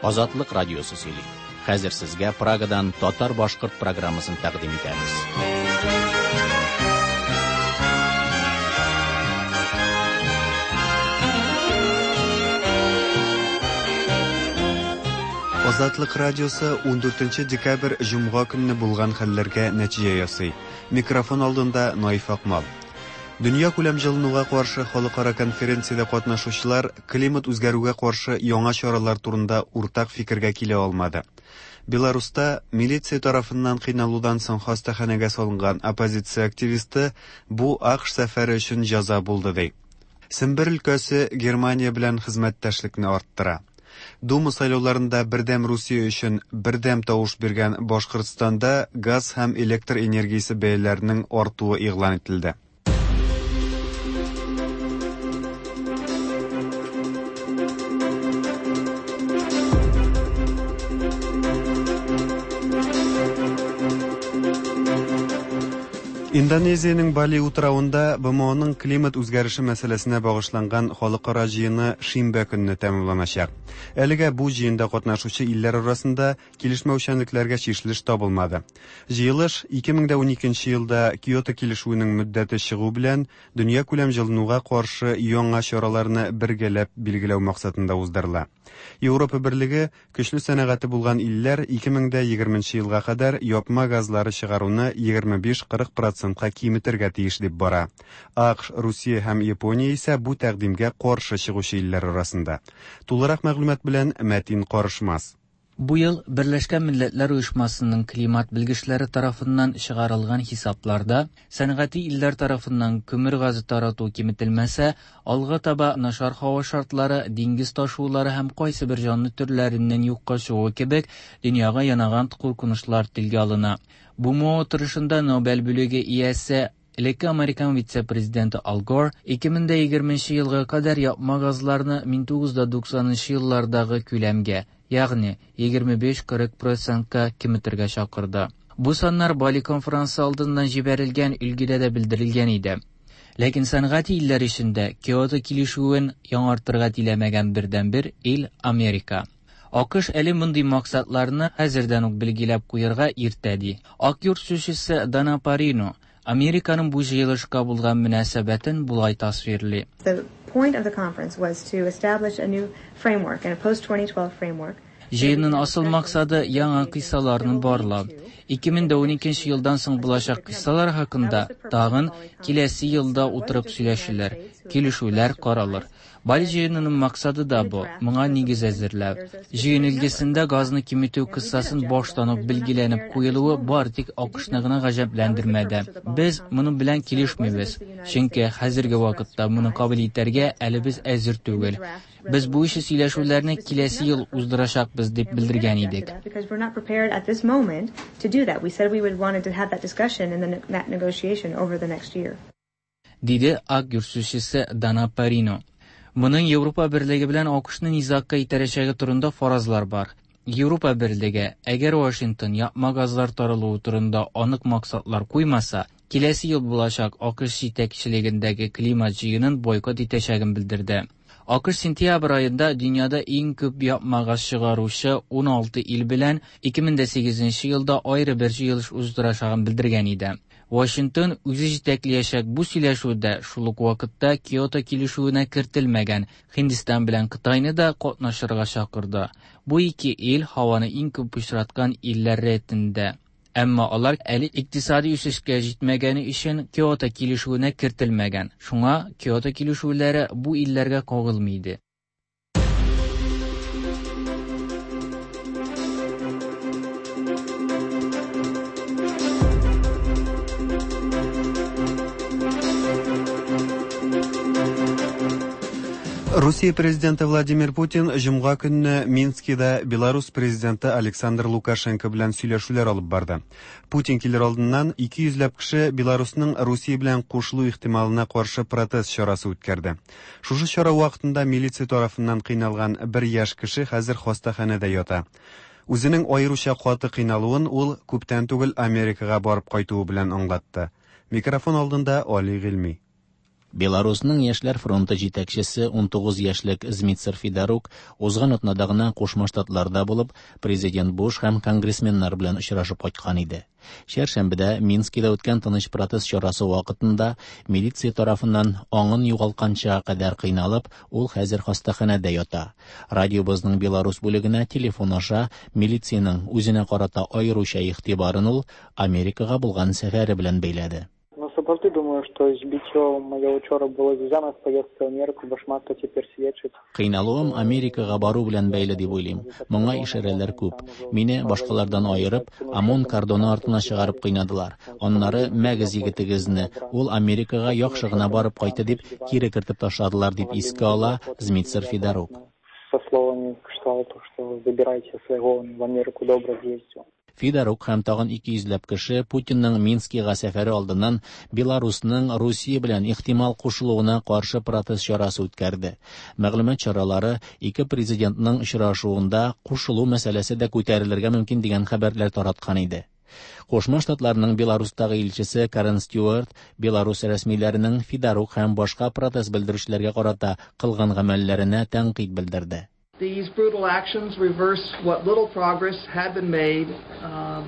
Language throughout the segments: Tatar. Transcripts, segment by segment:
Азатлык радиосы сөйли. Хәзер сезгә Прагадан татар-башкорт программасын тәкъдим итәбез. Азатлык радиосы 14 декабрь җомга көнне булган хәлләргә нәтиҗә ясый. Микрофон алдында Наиф Акмал. Дөнья күләм җылынуга каршы халыкара конференциядә катнашучылар климат үзгәрүгә каршы яңа чаралар турында уртак фикергә килә алмады. Беларуста милиция тарафыннан кыйналудан соң хастаханәгә салынган оппозиция активисты бу АКШ сәфәре өчен җәза булды ди. Сембер өлкәсе Германия белән хезмәттәшлекне арттыра. Дума сайлауларында Бердәм Русия өчен бердәм тавыш биргән Башкортстанда газ һәм электр энергиясе бәяләренең артуы игълан ителде. Индонезиянең Бали утравында БМОның климат үзгәреше мәсьәләсенә багышланган халыкара җыены шимбә көнне тәмамланачак. Әлегә бу җыенда катнашучы илләр арасында килешмәүчәнлекләргә чишелеш табылмады. Җыелыш 2012 елда Киото килешүенең мөддәте чыгу белән дөньякүләм җылынуга каршы яңа чараларны бергәләп билгеләү максатында уздырыла. Европа Берлеге көчле сәнәгате булган илләр 2020 елга кадәр япма газлары чыгаруны 25-40 процентка киметергә тиеш дип бара. АКШ, Русия һәм Япония исә бу тәкъдимгә каршы чыгучы илләр арасында. Тулырак мәгълүмат белән Мәтин Карышмас. Бу ел Берләшкән Милләтләр Оешмасының климат белгечләре тарафыннан чыгарылган хисапларда сәнәгати илләр тарафыннан күмер газы тарату киметелмәсә, алга таба начар һава шартлары, диңгез ташулары һәм кайсы бер җанлы төрләренең юкка чыгуы кебек дөньяга янаган куркынычлар телгә алына. БМО утырышында Нобель бүлеге иясе Элекке американ вице-президенты Ал Гор 2020 елга кадәр япма газларны 1990 еллардагы күләмгә, ягъни 25-40 процентка киметергә чакырды. Бу саннар Бали конференсы алдыннан җибәрелгән өлгедә дә белдерелгән иде. Ләкин сәнәгать илләр эчендә Киото килешүен яңартырга теләмәгән бердәнбер ил Америка. АКШ әле мондый максатларны хәзердән үк билгеләп куярга иртә ди. Ак йорт сүзчесе Дана Парино Американың бу җыелышка булган мөнәсәбәтен болай тасвирлый. The point of the conference was to establish a new framework and a post-2012 framework. Җыенның асыл максаты яңа кыйссаларны барлау. 2012 елдан соң булачак кыйссалар хакында тагын киләсе елда утырып сөйләшүләр, килешүләр каралыр. Бали җыенының максаты да бу, моңа нигез әзерләү. Җыен өлгесендә газны киметү кыссасын баштан ук билгеләнеп куелуы бары тик АКШны гына гаҗәпләндермәде. Без моның белән килешмибез, чөнки хәзерге вакытта моны кабул итәргә әле без әзер түгел. Без бу ише сөйләшүләрне киләсе ел уздырачакбыз дип белдергән идек. Because we're not prepared at this moment to do that. We said we would wanted to have that discussion and then that negotiation over the next year. Диде Ак йорт сүзчесе Дана Парино. Моның Европа Берлеге белән АКШны низагка итәрәчәге турында фаразлар бар. Европа Берлеге, әгәр Вашингтон япма газлар таралуы турында анык максатлар куймаса, киләсе ел булачак АКШ җитәкчелегендәге климат җыенын бойкот итәчәген белдерде. АКШ сентябрь аенда дөньяда иң күп япма газ чыгаручы 16 ил белән 2008 елда аеры бер җыелыш уздырачагын белдергән иде. Вашингтон үзе җитәкләячәк бу сөйләшүдә шул ук вакытта Киото килешүенә кертелмәгән Һиндстан белән Кытайны да катнашырга чакырды. Бу ике ил һаваны иң күп пычраткан илләр рәтендә. Әмма алар әле икътисади үсешкә җитмәгәне өчен Киото килешүенә кертелмәгән. Шуңа Киото килешүләре бу илләргә кагылмый иде. Русия президенты Владимир Путин җомга көнне Минскида Беларусь президенты Александр Лукашенко белән сөйләшүләр алып барды. Путин килер алдыннан 200 ләп кеше Беларусның Русия белән кушылу ихтималына каршы протест чарасы үткәрде. Шушы чара вакытында милиция тарафыннан кыйналган бер яшь кеше хәзер хастаханәдә ята. Үзенең аеруча каты кыйналуын ул күптән түгел Америкага барып кайтуы белән аңлатты. Микрофон алдында Али Гыйльми. Беларусның Яшьләр фронты җитәкчесе 19 яшьлек Змитцер Федорук узган атнада гына Кушма Штатларда булып, президент Буш һәм конгрессменнар белән очрашып кайткан иде. Чәршәмбедә Минскида үткән тыныч протест чарасы вакытында милиция тарафыннан аңын югалтканча кадәр кыйналып, ул хәзер хастаханәдә ята. Радиобызның Беларус бүлегенә телефон аша милициянең үзенә карата аеруча игътибарын ул Америкага булган сәфәре белән бәйләде. Ну, сапраўды думаю, што збіццё маё учора было звязана з паездкай ў Амерыку, бо шмат хто цяпер сведчыць. Кыйналуым Америкага бару белән бәйле дип уйлыйм. Моңа ишарәләр күп. Мине башкалардан аерып, ОМОН кордоны артына чыгарып кыйнадылар. Аннары мәгез егетегезне, ул Америкага яхшы гына барып кайтты дип, кире кертеп ташладылар, дип искә ала Змитцер Федорук. Со словами кшталту, что забирайте своего, он в Америку добро съездил. Федорук һәм тагын 200 ләп кеше Путинның Минскига сәфәре алдыннан Беларусның Русия белән ихтимал кушылуына каршы протест чарасы үткәрде. Мәгълүмат чаралары ике президентның очрашуында кушылу мәсьәләсе дә күтәрелергә мөмкин дигән хәбәрләр тараткан иде. Кушма Штатларның Беларустагы илчесе Карен Стюарт Беларус рәсмиләренең Федорук һәм башка протест белдерүчеләргә карата кылган гамәлләренә тәнкыйть белдерде. These brutal actions reverse what little progress had been made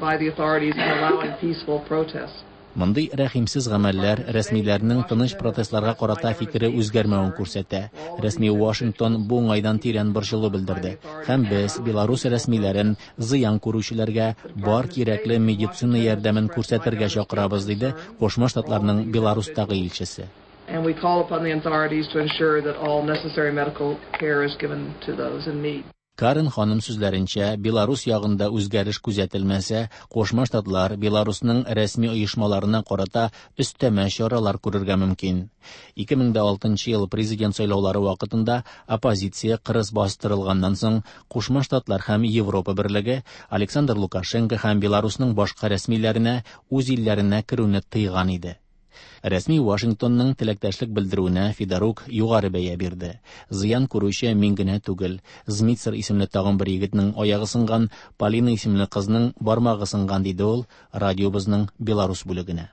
by the authorities in allowing peaceful protests. Мондый рәхимсез гамәлләр рәсмиләрнең тыныч протестларга карата фикере үзгәрмәвен күрсәтә. Рәсми Вашингтон бу уңайдан тирән борчылу белдерде. Һәм без Беларус рәсмиләрен зыян күрүчеләргә бар кирәкле медицина ярдәмен күрсәтергә чакырабыз, диде Кушма Штатларның Беларустагы илчесе. And we call upon the authorities to ensure that all necessary medical care is given to those in need. Карен ханым сүзләренчә, Беларус ягында үзгәреш күзәтелмәсә, Кушма Штатлар Беларусның рәсми оешмаларына карата өстәмә чаралар күрергә мөмкин. 2006 ел президент сайлаулары вакытында оппозиция кырыс бастырылганнан соң Кушма Штатлар һәм Европа берлеге Александр Лукашенко һәм Беларусның башка рәсмиләренә үз илләренә керүне тыйган иде. Рәсми Вашингтонның теләктәшлек белдерүенә Федорук югары бәя бирде. Зыян күрүче мин генә түгел. Змитцер исемле тагын бер егетнең аягы сынган, Полина исемле кызның бармагы сынган, диде ул радиобызның Беларус бүлегенә.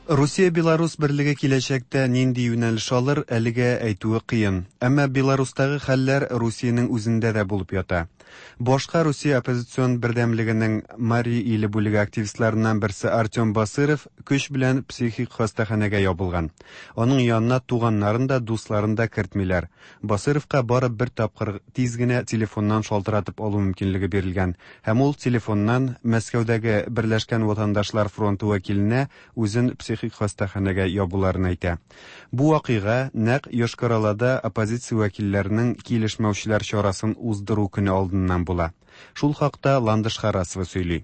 Русия-Беларус берлеге киләчәктә нинди юнәлеш алыр, әлегә әйтүе кыен. Әмма Беларустагы хәлләр Русиянең үзендә дә булып ята. Башка Русия оппозицион бердәмлегенең Мари иле бүлеге активистларыннан берсе Артем Басыров көч белән психик хастаханәгә ябылган. Аның янына туганнарын да, дусларын да кертмиләр. Басыровка бары бер тапкыр тиз генә телефоннан шалтыратып алу мөмкинлеге бирелгән. Һәм ул телефоннан Мәскәүдәге Берләшкән ватандашлар фронты вәкиленә үзен психик хастаханәгә ябуларын әйтә. Бу вакыйга нәкъ Йошкар-Олада оппозиция вәкилләренең килешмәүчеләр чарасын уздыру көне алдыннан була. Шул хакта Ландыш Харасова сөйли.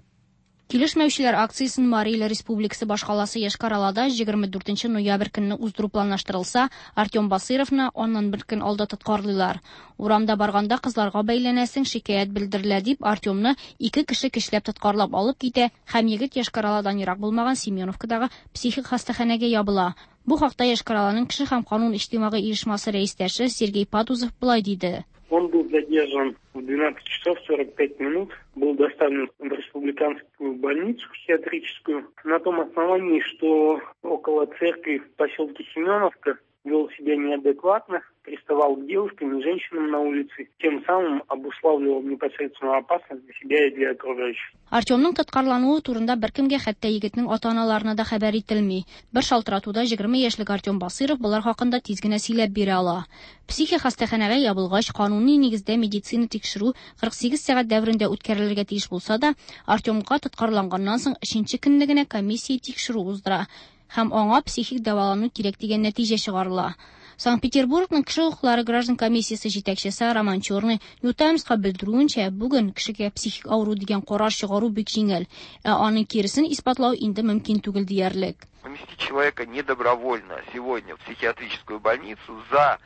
Килешмәүчеләр акциясен Мари Иле Республикасы башкаласы Йошкар-Олада 24 ноябрь көнне уздыру планлаштырылса, Артем Басыровны аннан бер көн алда тоткарлыйлар. Урамда барганда кызларга бәйләнәсең, шикаять белдерелә дип, Артемны ике кеше көчләп тоткарлап алып китә һәм егет Йошкар-Оладан ерак булмаган Семеновкадагы психик хастаханәгә ябыла. Бу хакта Йошкар-Оланың кеше һәм канун иҗтимагый оешмасы рәистәше Сергей Падузов болай диде. Он был задержан в 12 часов 45 минут, был доставлен в республиканскую больницу психиатрическую на том основании, что около церкви в поселке Семеновка вел себя неадекватно, приставал к девушкам и женщинам на улице, тем самым обуславливал непосредственную опасность для себя и для окружающих. Артемның тоткарлануы турында беркемгә, хәтта егетнең ата-аналарына да хәбәр ителми. Бер шалтыратуда 20 яшьлек Артем Басыров болар хакында тиз генә сөйләп бирә ала. Психик хастаханәгә ябылгач, кануни нигездә медицина тикшерү 48 сәгать дәверендә үткәрелергә тиеш булса да, Артемга тоткарланганнан соң 3нче көнне генә комиссия тикшерү уздыра һәм аңа психик дәвалану кирәк дигән нәтиҗә чыгарыла. Санкт-Петербургның кеше хокуклары граждан комиссиясе җитәкчесе Роман Черный New Timesка белдерүенчә, бүген кешегә психик авыру дигән карар чыгару бик җиңел, ә аның киресен исбатлау инде мөмкин түгел диярлек. Поместить человека недобровольно сегодня в психиатрическую больницу за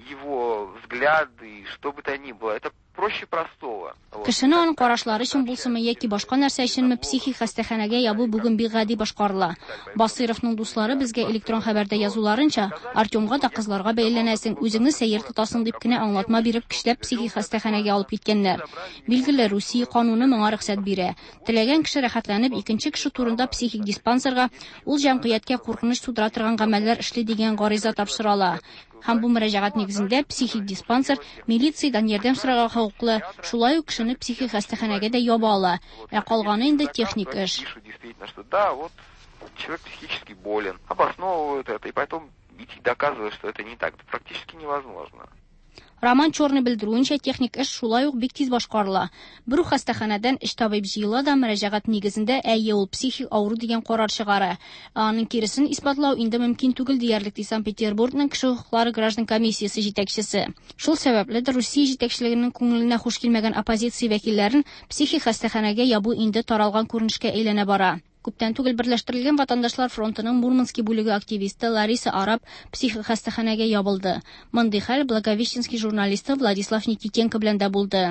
его взгляды, что бы то ни было, это Проще простого. Кешене аның карашлары өчен булсынмы яки башка нәрсә өченме психик хастаханәгә ябу бүген бик гади башкарыла. Басыйровның дуслары безгә электрон хәбәрдә язуларынча, Артемга да кызларга бәйләнәсең, үзеңне сәер тотасың дип кенә аңлатма биреп көчләп психик хастаханәгә алып киткәннәр. Билгеле, Русия кануны моңа рөхсәт бирә. Теләгән кеше рәхәтләнеп икенче кеше турында психик диспансерга ул җәмгыятькә куркыныч тудыра торган гамәлләр эшли дигән гариза тапшыра ала. Һәм бу мөрәҗәгать нигезендә психик диспансер милициядән ярдәм сорарга хокуклы, шулай ук кешене психик хастаханәгә дә яба ала. Ә калганы инде техник эш. Действительно, что да, вот человек психически болен, обосновывают это, и потом идти доказывать, что это не так, это практически невозможно. Роман Черный белдерүенчә, техник эш шулай ук бик тиз башкарыла. Бер үк хастаханәдән өч табиб җыела да мөрәҗәгать нигезендә әйе ул психик авыру дигән карар чыгара. Ә аның киресен исбатлау инде мөмкин түгел диярлек, ди Санкт-Петербургның кеше хокуклары граждан комиссиясе җитәкчесе. Шул сәбәпледер Русия җитәкчелегенең күңеленә хуш килмәгән оппозиция вәкилләрен психик хастаханәгә ябу инде таралган күренешкә әйләнә бара. Күптән түгел Берләштерелгән ватандашлар фронтының Мурманский бүлеге активисты Лариса Араб психик хастаханәгә ябылды. Мондый хәл Благовещенский журналисты Владислав Никитенко белән дә булды.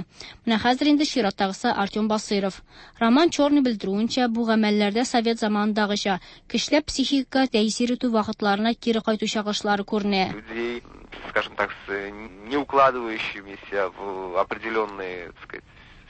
Менә хәзер инде чираттагысы Артем Басыйров. Роман Черный белдерүенчә, бу гамәлләрдә совет заманындагыча көчләп психикага тәэсир итү вакытларына кире кайту чагылышлары күренә. Людей, скажем так, с не укладывающимися в определенные, так сказать,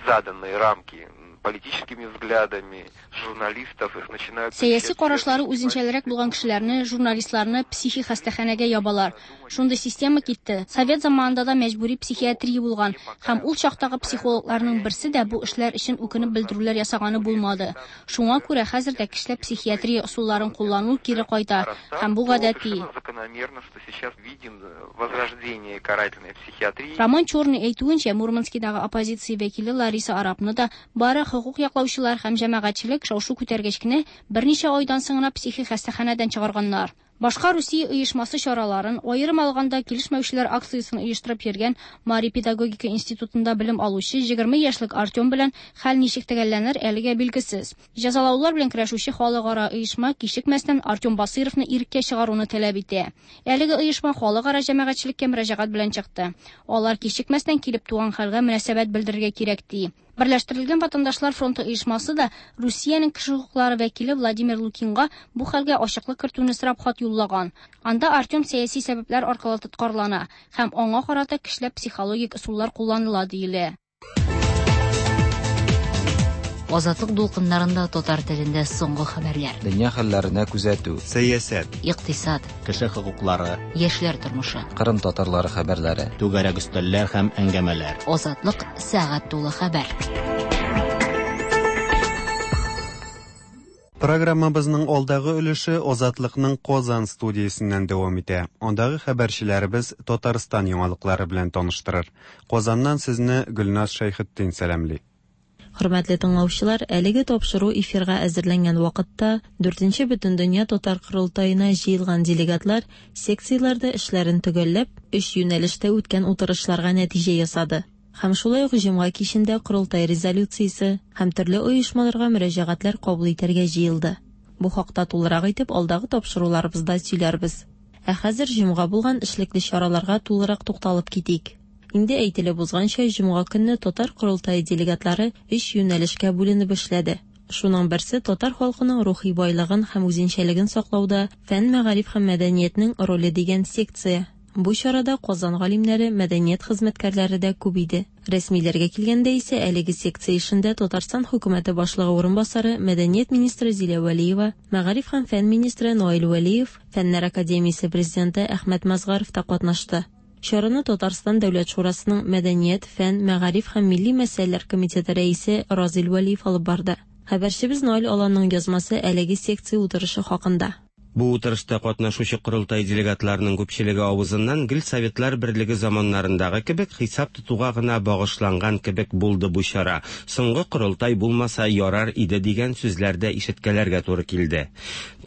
заданные рамки политическими взглядами, журналистов, их начинают... Сәяси карашлары үзенчәлерәк булган кешеләрне, журналистларны психик хастаханәгә ябалар. Шундый система китте. Совет заманында да мәҗбүри психиатрия булган һәм ул чактагы психологларның берсе дә бу эшләр өчен үкенеп белдерүләр ясаганы булмады. Шуңа күрә хәзер дә көчләп психиатрия ысулларын куллану кире кайта һәм бу гадәти. Закономерно, что сейчас видим возрождение карательной психиатрии. Роман Черный әйтүенчә, Мурманскидагы оппозиция вәкиле Лариса Арабны да бары хокук яклаучылар һәм җәмәгатьчелек шау-шу күтәргәч кенә берничә айдан соң гына психик хастаханәдән чыгарганнар. Башка Русия оешмасы чараларын, аерым алганда килешмәүчеләр акциясен оештырып йөргән Мари педагогика институтында белем алучы 20 яшьлек Артем белән хәл ничек төгәлләнер әлегә билгесез. Җәзалаулар белән көрәшүче халыкара оешма кичекмәстән Артем Басыйровны иреккә чыгаруны таләп итә. Әлеге оешма халыкара җәмәгатьчелеккә мөрәҗәгать белән чыкты. Алар кичекмәстән килеп туган хәлгә мөнәсәбәт белдерергә кирәк ди. Берләштерелгән ватандашлар фронты оешмасы да Русиянең кеше хокуклары вәкиле Владимир Лукинга бу хәлгә ачыклык кертүне сорап хат юллаган. Анда Артем сәяси сәбәпләр аркылы тоткарлана һәм аңа карата көчләп психологик ысуллар кулланыла диелә. Азатлык дулкыннарында татар телендә соңгы хәбәрләр. Дөнья хәлләренә күзәтү. Сәясәт. Икътисад. Кеше хокуклары. Яшьләр тормышы. Кырым татарлары хәбәрләре. Түгәрәк өстәлләр һәм әңгәмәләр. Азатлык сәгать тулы хәбәр. Программабызның алдагы өлеше Азатлыкның Казан студиясеннән дәвам итә. Андагы хәбәрчеләребез Татарстан яңалыклары белән таныштырыр. Казаннан сезне Гөлназ Шәйхетдин сәламли. Хөрмәтле тыңлаучылар, әлеге тапшыру эфирга әзерләнгән вакытта 4нче Бөтендөнья татар корылтаена җыелган делегатлар секцияләрдә эшләрен төгәлләп, өч юнәлештә үткән утырышларга нәтиҗә ясады. Һәм шулай ук җомга кичендә корылтай резолюциясе һәм төрле оешмаларга мөрәҗәгатьләр кабул итәргә җыелды. Бу хакта тулырак итеп алдагы тапшыруларыбызда сөйләрбез. Ә хәзер җомга булган эшлекле чараларга тулырак тукталып китик. Инде әйтелеп узганча, җомга көнне татар корылтае делегатлары өч юнәлешкә бүленеп эшләде. Шуның берсе татар халкының рухи байлыгын һәм үзенчәлеген саклауда фән, мәгариф һәм мәдәниятнең роле дигән секция. Бу чарада Казан галимнәре, мәдәният хезмәткәрләре дә күп иде. Рәсмиләргә килгәндә исә әлеге секция эшендә Татарстан хөкүмәте башлыгы урынбасары, мәдәният министры Зилә Вәлиева, мәгариф һәм фән министры Наил Вәлиев, Фәннәр академиясе президенты Әхмәт Мазгаров та катнашты. Чараны Татарстан Дәүләт шурасының мәдәният, фән, мәгариф һәм милли мәсьәләләр комитеты рәисе Разил Вәлиев алып барды. Хәбәрчебез Наил Аланның язмасы әлеге секция утырышы хакында. Бу утырышта катнашучы корылтай делегатларының күпчелеге авызыннан гел Советлар берлеге заманнарындагы кебек хисап тотуга гына багышланган кебек булды бу чара. Соңгы корылтай булмаса ярар иде дигән сүзләр дә ишеткәләргә туры килде.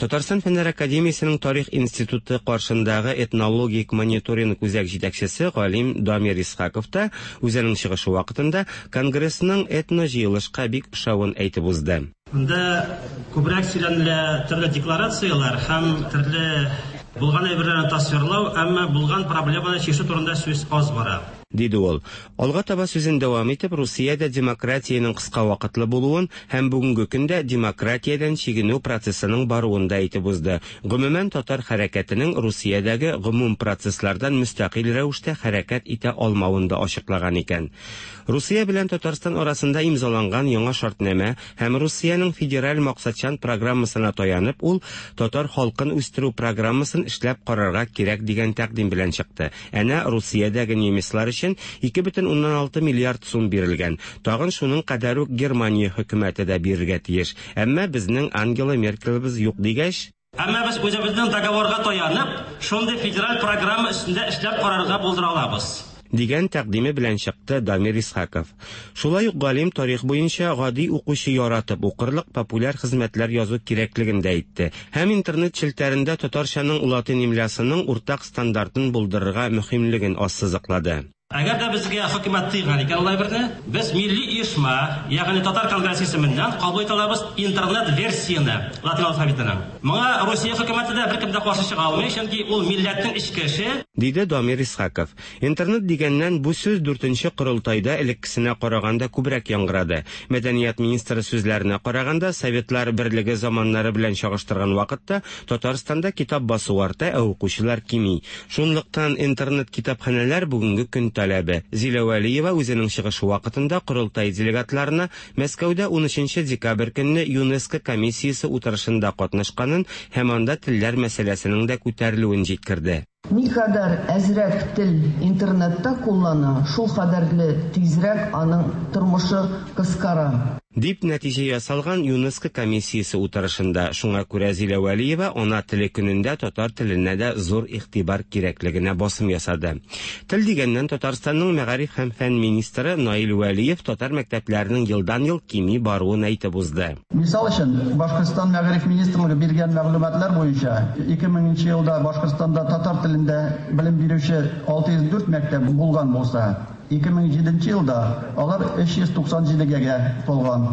Татарстан Фәннәр академиясенең тарих институты каршындагы этнологик мониторинг үзәк җитәкчесе галим Дамир Исхаков та үзенең чыгышы вакытында конгрессның этно җыелышка бик ошавын әйтеп узды. Монда күбрәк сөйләнелә төрле декларацияләр һәм төрле булган әйберләрне тасвирлау, әмма булган проблеманы чишү турында сүз аз бара. Диде ул. Алга таба сүзен дәвам итеп, Русиядә демократиянең кыска вакытлы булуын һәм бүгенге көндә демократиядән чигенү процессының баруын да әйтеп узды. Гомумән, татар хәрәкәтенең Русиядәге гомум процесслардан мөстәкыйль рәвештә хәрәкәт итә алмавын да ачыклаган икән. Русия белән Татарстан арасында имзаланган яңа шартнамә һәм Русиянең федераль максатчан программасына таянып, ул татар халкын үстерү программасын эшләп карарга кирәк дигән тәкъдим белән чыкты. Әнә Русиядәге немецлар өчен 2,6 миллиард сум бирелгән. Тагын шуның кадәр үк Германия хөкүмәте дә бирергә тиеш. Әмма безнең Ангела Меркелебез юк дигәч, Әмма без үзебезнең договорга таянып, шундый федераль программа өстендә эшләп карарга булдыра алабыз. Дигән тәкъдиме белән чыкты Дамир Исхаков. Шулай ук галим тарих буенча гади укучы яратып укырлык популяр хезмәтләр язу кирәклеген дә әйтте һәм интернет челтәрендә татарчаның латин имлясының уртак стандартын булдырырга мөһимлеген ассызыклады. Әгәр дә безгә хөкүмәт тыйган икән ул әйберне, без милли оешма, ягъни Татар конгрессы исеменнән кабул итә алабыз интернет версияне латин алфавитының. Моңа Русия хөкүмәте дә, беркем дә каршы чыга алмый, чөнки ул милләтнең эчке эше. Диде Дамир Исхаков. Интернет дигәннән, бу сүз дүртенче корылтайда элеккесенә караганда күбрәк яңгырады. Мәдәният министры сүзләренә караганда, Советлар Берлеге заманнары белән чагыштырган вакытта Татарстанда китап басу арта, ә укучылар кими. Шунлыктан интернет-китапханәләр бүгенге көн таләбе. Зилә Вәлиева үзенең чыгышы вакытында корылтай делегатларына Мәскәүдә унөченче декабрь көнне ЮНЕСКО комиссиясе утырышында катнашканын һәм анда телләр мәсьәләсенең дә күтәрелүен җиткерде. Никадәр әзрәк тел интернетта куллана, шул кадәрле тизрәк аның тормышы кыскара. Дип нәтиҗә ясалган ЮНЕСКО комиссиясе утырышында. Шуңа күрә Зилә Вәлиева Ана теле көнендә татар теленә дә зур игътибар кирәклегенә басым ясады. Тел дигәннән, Татарстанның мәгариф һәм фән министры Наил Вәлиев татар мәктәпләренең елдан-ел кими баруын әйтеп узды. Мисал өчен, Башкортстан Мәгариф министрлыгы биргән мәгълүматлар буенча, 2000 нче елда Башкортстанда татар телендә белем бирүче 604 мәктәп булган булса, 2007 нче елда алар 397 гә тулган.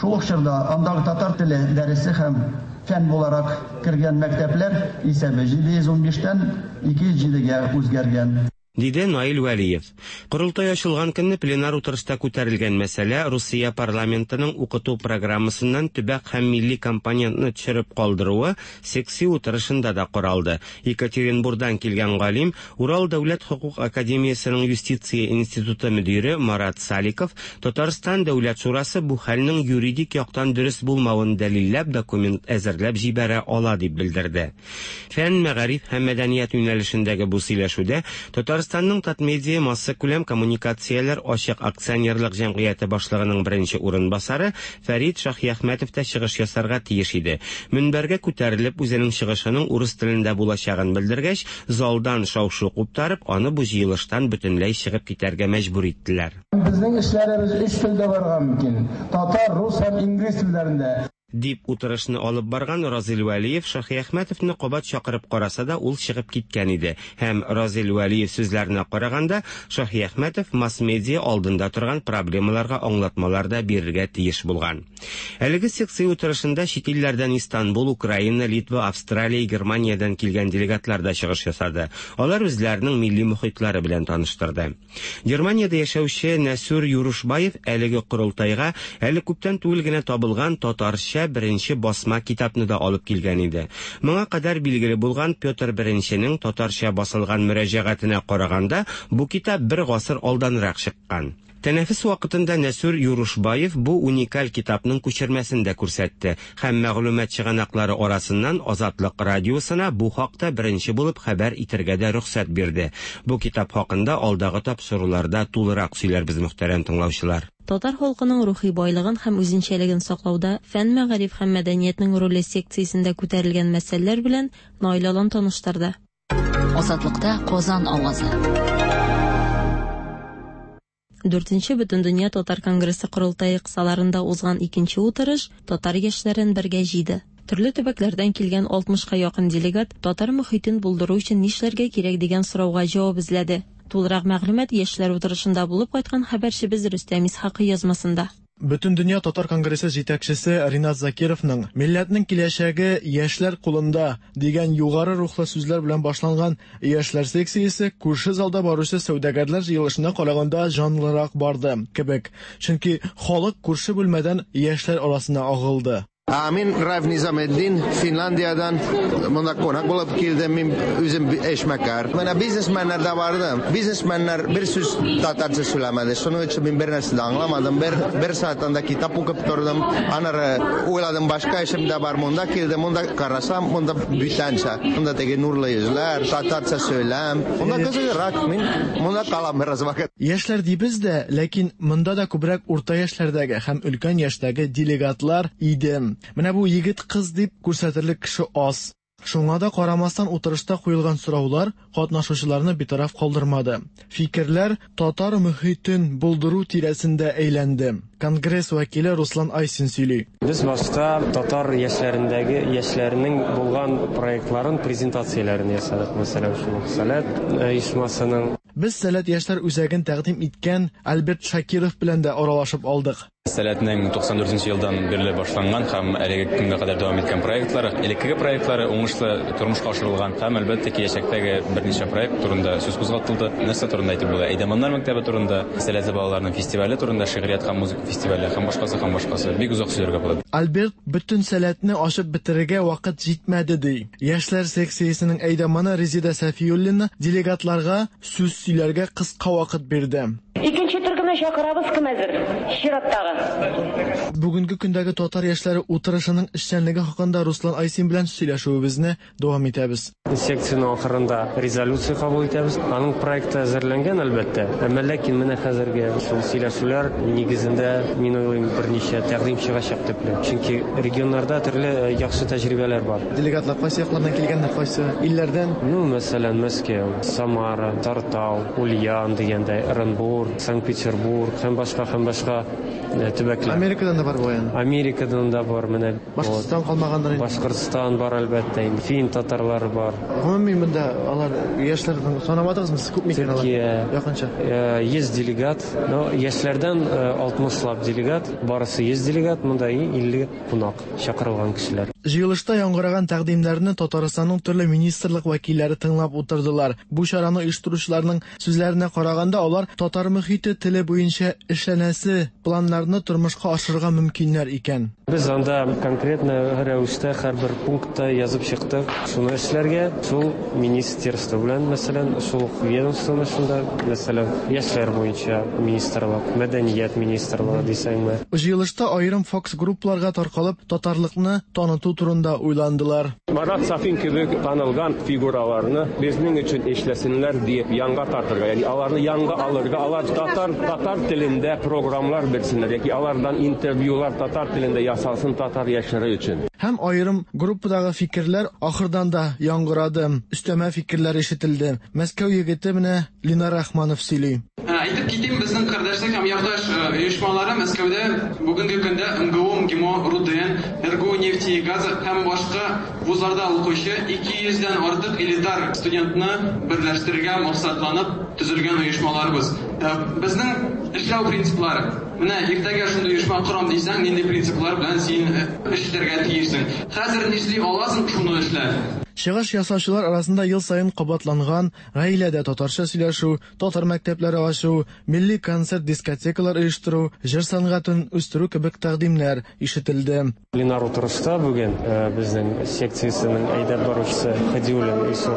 Шул ук чорда андагы татар теле дәресе һәм фән буларак кергән мәктәпләр исәбе 715 тән 207 гә үзгәргән. Диде Наил Вәлиев. Корылтай ачылган көнне пленар утырышта күтәрелгән мәсьәлә, Русия парламентының укыту программасыннан төбәк һәм милли компонентны төшереп калдыруы секция утырышында да каралды. Екатеринбурдан килгән галим, Урал дәүләт хокук академиясенең юстиция институты мөдире Марат Саликов Татарстан Дәүләт шурасы бу хәлнең юридик яктан дөрес булмавын дәлилләп документ әзерләп җибәрә ала дип белдерде. Фән, мәгариф һәм мәдәният юнәлешендәге бу сөйләшүдә Татарстанның Татмедиа массакүләм коммуникацияләр ачык акционерлык җәмгыяте башлыгының беренче урынбасары Фәрит Шаһиәхмәтов та чыгыш ясарга тиеш иде. Мөнбәргә күтәрелеп, үзенең чыгышының урыс телендә булачагын белдергәч, залдан шау-шу куптарып, аны бу җыелыштан бөтенләй чыгып китәргә мәҗбүр иттеләр. Безнең эшләребез өч телдә барырга мөмкин, татар, рус һәм инглиз телләрендә. Дип утырышны алып барган Разил Вәлиев Шаһиәхмәтовны кабат чакырып караса да, ул чыгып киткән иде. Һәм, Разил Вәлиев сүзләренә караганда, Шаһиәхмәтов масс-медиа алдында торган проблемаларга аңлатмалар да бирергә тиеш булган. Әлеге секция утырышында чит илләрдән Истанбул, Украина, Литва, Австралия, Германиядән килгән делегатлар да чыгыш ясады. Алар үзләренең милли мохитлары белән таныштырды. Германиядә яшәүче Нәсүр Юрушбаев әлеге корылтайга әле күптән түгел генә табылган татарча беренче басма китапны да алып килгән иде. Моңа кадәр билгеле булган Петр Беренченең татарча басылган мөрәҗәгатенә караганда, бу китап бер гасыр алданрак чыккан. Тәнәфес вакытында Нәсүр Юрушбаев бу уникаль китапның күчермәсен дә күрсәтте һәм мәгълүмат чыганаклары арасыннан Азатлык радиосына бу хакта беренче булып хәбәр итергә дә рөхсәт бирде. Бу китап хакында алдагы тапшыруларда тулырак сөйләрбез, мөхтәрәм тыңлаучылар. Татар халкының рухи байлыгын һәм үзенчәлеген саклауда фән, мәгариф һәм мәдәниятнең роле секциясендә күтәрелгән мәсьәләләр белән Наил Алан таныштырды. Азатлыкта Казан авазы. Дүртенче Бөтендөнья татар конгрессы корылтае кысаларында узган икенче утырыш татар яшьләрен бергә җыйды. Төрле төбәкләрдән килгән 60-ка якын делегат татар мохитен булдыру өчен нишләргә кирәк дигән сорауга җавап эзләде. Тулырак мәгълүмат яшьләр утырышында булып кайткан хәбәрчебез Рөстәм Исхакый язмасында. Бөтендөнья татар конгрессы җитәкчесе Ринат Закировның «Милләтнең киләчәге яшьләр кулында» дигән югары рухлы сүзләр белән башланган яшьләр секциясе күрше залда баручы сәүдәгәрләр җыелышына караганда җанлырак барды кебек. Чөнки халык күрше бүлмәдән яшьләр арасына агылды. Мин Райф Низаметдин, Финляндиядән монда кунак булып килдем. Мин үзем эшмәкәр. Менә бизнесменнар да барды. Бизнесменнар бер сүз татарча сөйләмәде. Шуның өчен мин бер нәрсә дә аңламадым. Бер сәгать анда китап укып тордым. Аннары уйладым, башка эшем дә бар. Монда килдем, монда карасам, монда бүтәнчә. Монда теге нурлы йөзләр, татарча сөйләм. Монда кызыграк. Мин монда калам бераз вакыт. Яшьләр дибез дә, ләкин монда да күбрәк урта яшьләрдәге һәм өлкән яшьтәге делегатлар иде. Менә бу егет-кыз дип күрсәтерлек кеше аз. Шуңа да карамастан утырышта куелган сораулар катнашучыларны битараф калдырмады. Фикерләр татар мөхитен булдыру тирәсендә әйләнде. Конгресс вәкиле Руслан Айсин сөйли. Без башта татар яшьләрендәге яшьләрнең булган проектларын презентацияләрен ясадык. Мәсәлән, шул Сәләт оешмасының. Без Сәләт яшьләр үзәген тәкъдим иткән Альберт Шакиров белән дә аралашып алдык. Сәләтнең 94 нче елдан бирле башланган һәм әлеге көнгә кадәр дәвам иткән проектлары, элеккеге проектлары уңышлы тормышка ашырылган һәм, әлбәттә, киләчәктәге берничә проект турында сүз кузгатылды. Нәрсә турында әйтеп була? Әйдаманнар мәктәбе турында, сәләтле балаларның фестивале турында, шигърият һәм музыка фестивале һәм башкасы һәм башкасы. Бик озак сөйләргә була. Альберт бөтен сәләтне ачып бетерергә вакыт җитмәде, ди. Яшьләр секциясенең әйдаманы Резеда Сәфиуллина делегатларга сүз сөйләргә кыска вакыт бирде. Икенче төркемне чакырабыз, кем әзер? Чираттагы. Бүгенге көндәге татар яшьләре утырышының эшчәнлеге хакында Руслан Айсин белән сөйләшүебезне дәвам итәбез. Секциянең ахырында резолюция кабул итәбез. Аның проекты әзерләнгән, әлбәттә. Әмма ләкин менә хәзерге шул сөйләшүләр нигезендә, мин уйлыйм, берничә тәкъдим чыгачак төпле. Чөнки регионнарда төрле яхшы тәҗрибәләр бар. Делегатлар кайсы яклардан килгәннәр, кайсы илләрдән? Ну, мәсәлән, Мәскәү, Самара, Тартау, Ульян дигәндәй, Ырынбур, Санкт-Петербург һәм башка һәм башка төбәкләр. Америкадан да бар бугай инде. Америкадан да бар, менә. Башкортстан калмагандыр инде. Башкортстан бар, әлбәттә инде. Фин татарлары бар. Гомуми монда алар яшьләрне санамадыгызмы сез, күпме икән алар? Төркия. Якынча. 100 делегат. Но яшьләрдән 60 лап делегат, барысы 100 делегат, монда 50 кунак, чакырылган кешеләр. Җыелышта яңгыраган тәкъдимнәрне Татарстанның төрле министрлык вәкилләре тыңлап утырдылар. Бу чараны оештыручыларның сүзләренә караганда, алар татар мөхите теле буенча эшләнәсе планнарны тормышка ашырырга мөмкиннәр икән. Без анда конкретно рәвештә һәрбер пунктта язып чыктык, шуны эшләргә, шул министерство белән, мәсәлән, шул ук ведомствоны шунда, мәсәлән, яшьләр буенча министрлык, мәдәният министрлыгы дисәңме. Җыелышта аерым фокус-группаларга таркалып, татарлыкны таныту турында уйландылар. Марат Сафин кебек танылган фигураларны безнең өчен эшләсеннәр диеп янга тартырга, ягъни аларны янга алырга, алар татар татар телендә программлар бирсеннәр яки алардан интервьюлар татар телендә ясалсын татар яшьләре өчен. Һәм аерым группадагы фикерләр ахырдан да яңгырады, өстәмә фикерләр ишетелде. Мәскәү егете менә Ленар Рахманов сөйли. Әйтеп китим, безнең кардәшлек һәм якташ оешмалары Мәскәүдә бүгенге көндә МГУ, МГИМО, РУДН, РГУ нефти и газа һәм башка вузларда укучы 200 дән артык элитар студентны берләштерергә максатланып төзелгән оешмаларыбыз. Безнең эшләү принциплары. Менә иртәгә шундый оешма корам дисәң, нинди принциплар белән син эш итәргә тиешсең? Хәзер нишли аласың, шуны эшлә. Чыгыш ясаучылар арасында ел саен кабатланган гаиләдә татарча сөйләшү, татар мәктәпләре ачу, милли концерт-дискотекалар оештыру, җыр сәнгатен үстерү кебек тәкъдимнәр ишетелде. Пленар утырышта бүген безнең секциясенең әйдәп баручысы Хадиуллин Илсур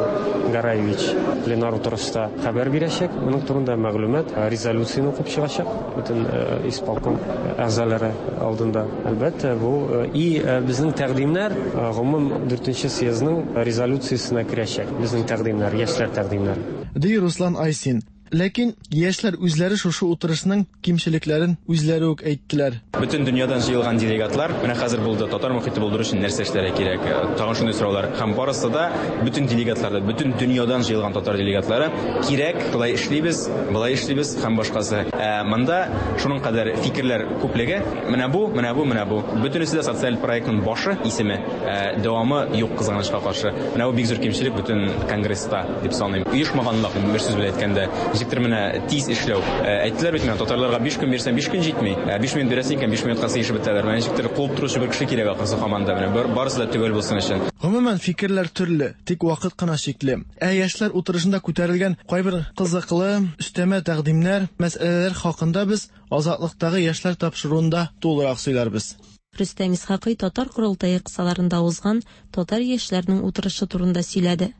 Гараевич пленар утырышта хәбәр бирәчәк. Моның турында мәгълүмат, резолюцияне укып чыгачак бөтен исполком әгъзалары алдында. Әлбәттә, бу и безнең тәкъдимнәр гомум дүртенче съездның резолюциясенә керәчәк. Безнең тәкъдимнәр, яшьләр тәкъдимнәре. Ди Руслан Айсин. Ләкин яшьләр үзләре шушы утырышның кимчелекләрен үзләре үк әйттеләр. Бөтен дөньядан җыелган делегатлар, менә хәзер булды, татар мохите булдыру өчен нәрсә эшләргә кирәк, тагын шундый сораулар. Һәм барысы да, бөтен делегатлар да, бөтен дөньядан җыелган татар делегатлары, кирәк, болай эшлибез, болай эшлибез һәм башкасы. Ә монда шуның кадәр фикерләр күплеге, менә бу, менә бу, менә бу. Бөтенесе дә социаль проектның башы, исеме, ә дәвамы юк, кызганычка каршы. Менә бу бик зур кимчелек бөтен конгресста, дип саныйм. Оешмаганлык, бер сүз белән әйткәндә. Ничектер менә тиз эшләү. Әйттеләр бит менә, татарларга 5 көн бирсәң, 5 көн җитми. 5 минут бирәсең икән, 5 минутка сыешып бетәләр. Менә ничектер куып торучы бер кеше кирәк ахрысы һаман да менә барысы да төгәл булсын өчен. Гомумән, фикерләр төрле, тик вакыт кына чикле. Ә яшьләр утырышында күтәрелгән кайбер кызыклы, өстәмә тәкъдимнәр, мәсьәләләр хакында без Азатлыктагы яшьләр тапшыруында тулырак сөйләрбез. Рөстәм Исхакый татар корылтае кысаларында узган татар яшьләренең утырышы турында сөйләде.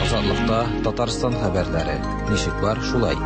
Азатлыкта Татарстан хәбәрләре. Ничек бар, шулай.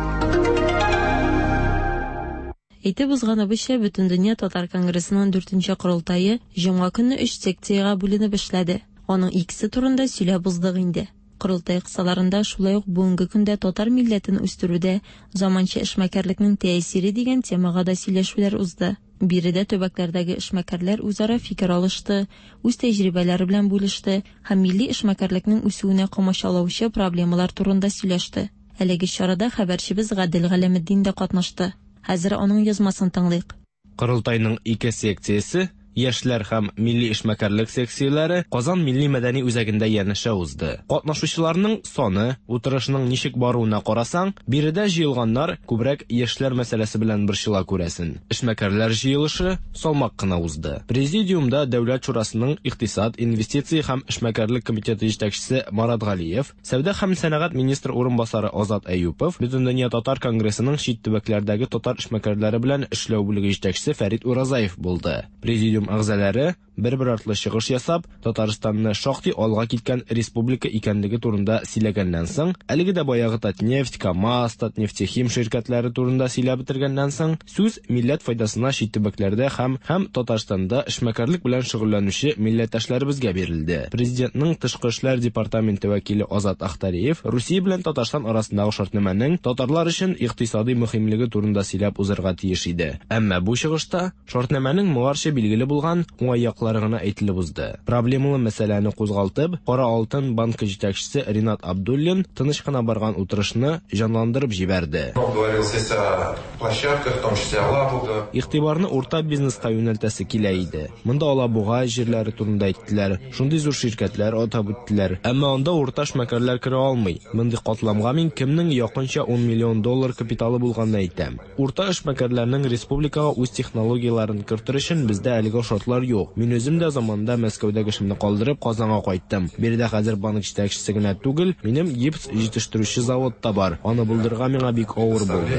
Әйтеп узганыбызча, Бөтендөнья татар конгрессының дүртенче корылтае җомга көнне өч секциягә бүленеп эшләде. Аның икесе турында сөйләп уздык инде. Корылтай кысаларында шулай ук бүгенге көндә татар милләтен үстерүдә заманча эшмәкәрлекнең тәэсире дигән темага да сөйләшүләр узды. Биредә төбәкләрдәге эшмәкәрләр үзара фикер алышты, үз тәҗрибәләре белән бүлеште һәм милли эшмәкәрлекнең үсүенә комачаулаучы проблемалар турында сөйләште. Әлеге чарада хәбәрчебез Гадел Галәметдин дә катнашты. Хәзер аның язмасын тыңлыйк. Корылтайның ике секциясе, яшьләр һәм милли эшмәкәрлек секцияләре Казан милли-мәдәни үзәгендә янәшә узды. Катнашучыларның саны, утырышның ничек баруына карасаң, биредә җыелганнар күбрәк яшьләр мәсьәләсе белән борчыла күрәсен. Эшмәкәрләр җыелышы салмак кына узды. Президиумда Дәүләт шурасының икътисад, инвестиция һәм эшмәкәрлек комитеты җитәкчесе Марат Галиев, Сәүдә һәм сәнәгать министры урынбасары Азат Әюпов, Бөтендөнья татар конгрессының чит төбәкләрдәге татар эшмәкәрләре белән эшләү бүлеге җитәкчесе Фәрит Уразаев булды. Президиум әгъзалары, бер-бер артлы чыгыш ясап, Татарстанны шактый алга киткән республика икәнлеге турында сөйләгәннән соң, әлеге дә баягы Татнефть, КАМАЗ, Татнефтехим ширкәтләре турында сөйләп бетергәннән соң, сүз милләт файдасына чит төбәкләрдә һәм һәм Татарстанда эшмәкәрлек белән шөгыльләнүче милләттәшләребезгә бирелде. Президентның Тышкы эшләр департаменты вәкиле Азат Ахтариев Русия белән Татарстан арасындагы шартнамәнең татарлар өчен икътисадый мөһимлеге турында сөйләп узарга тиеш иде. Әмма бу чыгышта шартнамәнең моңарчы билгеле булган уңай яклары гына әйтелеп узды. Проблемалы мәсьәләне кузгалтып, Кара алтын банкы җитәкчесе Ринат Абдуллин тыныч кына барган утырышны җанландырып җибәрде. Игътибарны урта бизнеска юнәлтәсе килә иде. Монда Алабуга җирләре турында әйттеләр, шундый зур ширкәтләр атап үттеләр. Әмма анда урта эшмәкәрләр керә алмый. Мондый катламга мин кемнең якынча ун миллион доллар капиталы булганны әйтәм. Урта эшмәкәрләрнең республикага үз технологияләрен кертер өчен бездә әлегә шартлар юк. Мин үзем дә заманында Мәскәүдәге эшемне калдырып, Казанга кайттым. Биредә хәзер банк җитәкчесе генә түгел, минем гипс җитештерүче завод та бар. Аны булдырырга миңа бик авыр булды.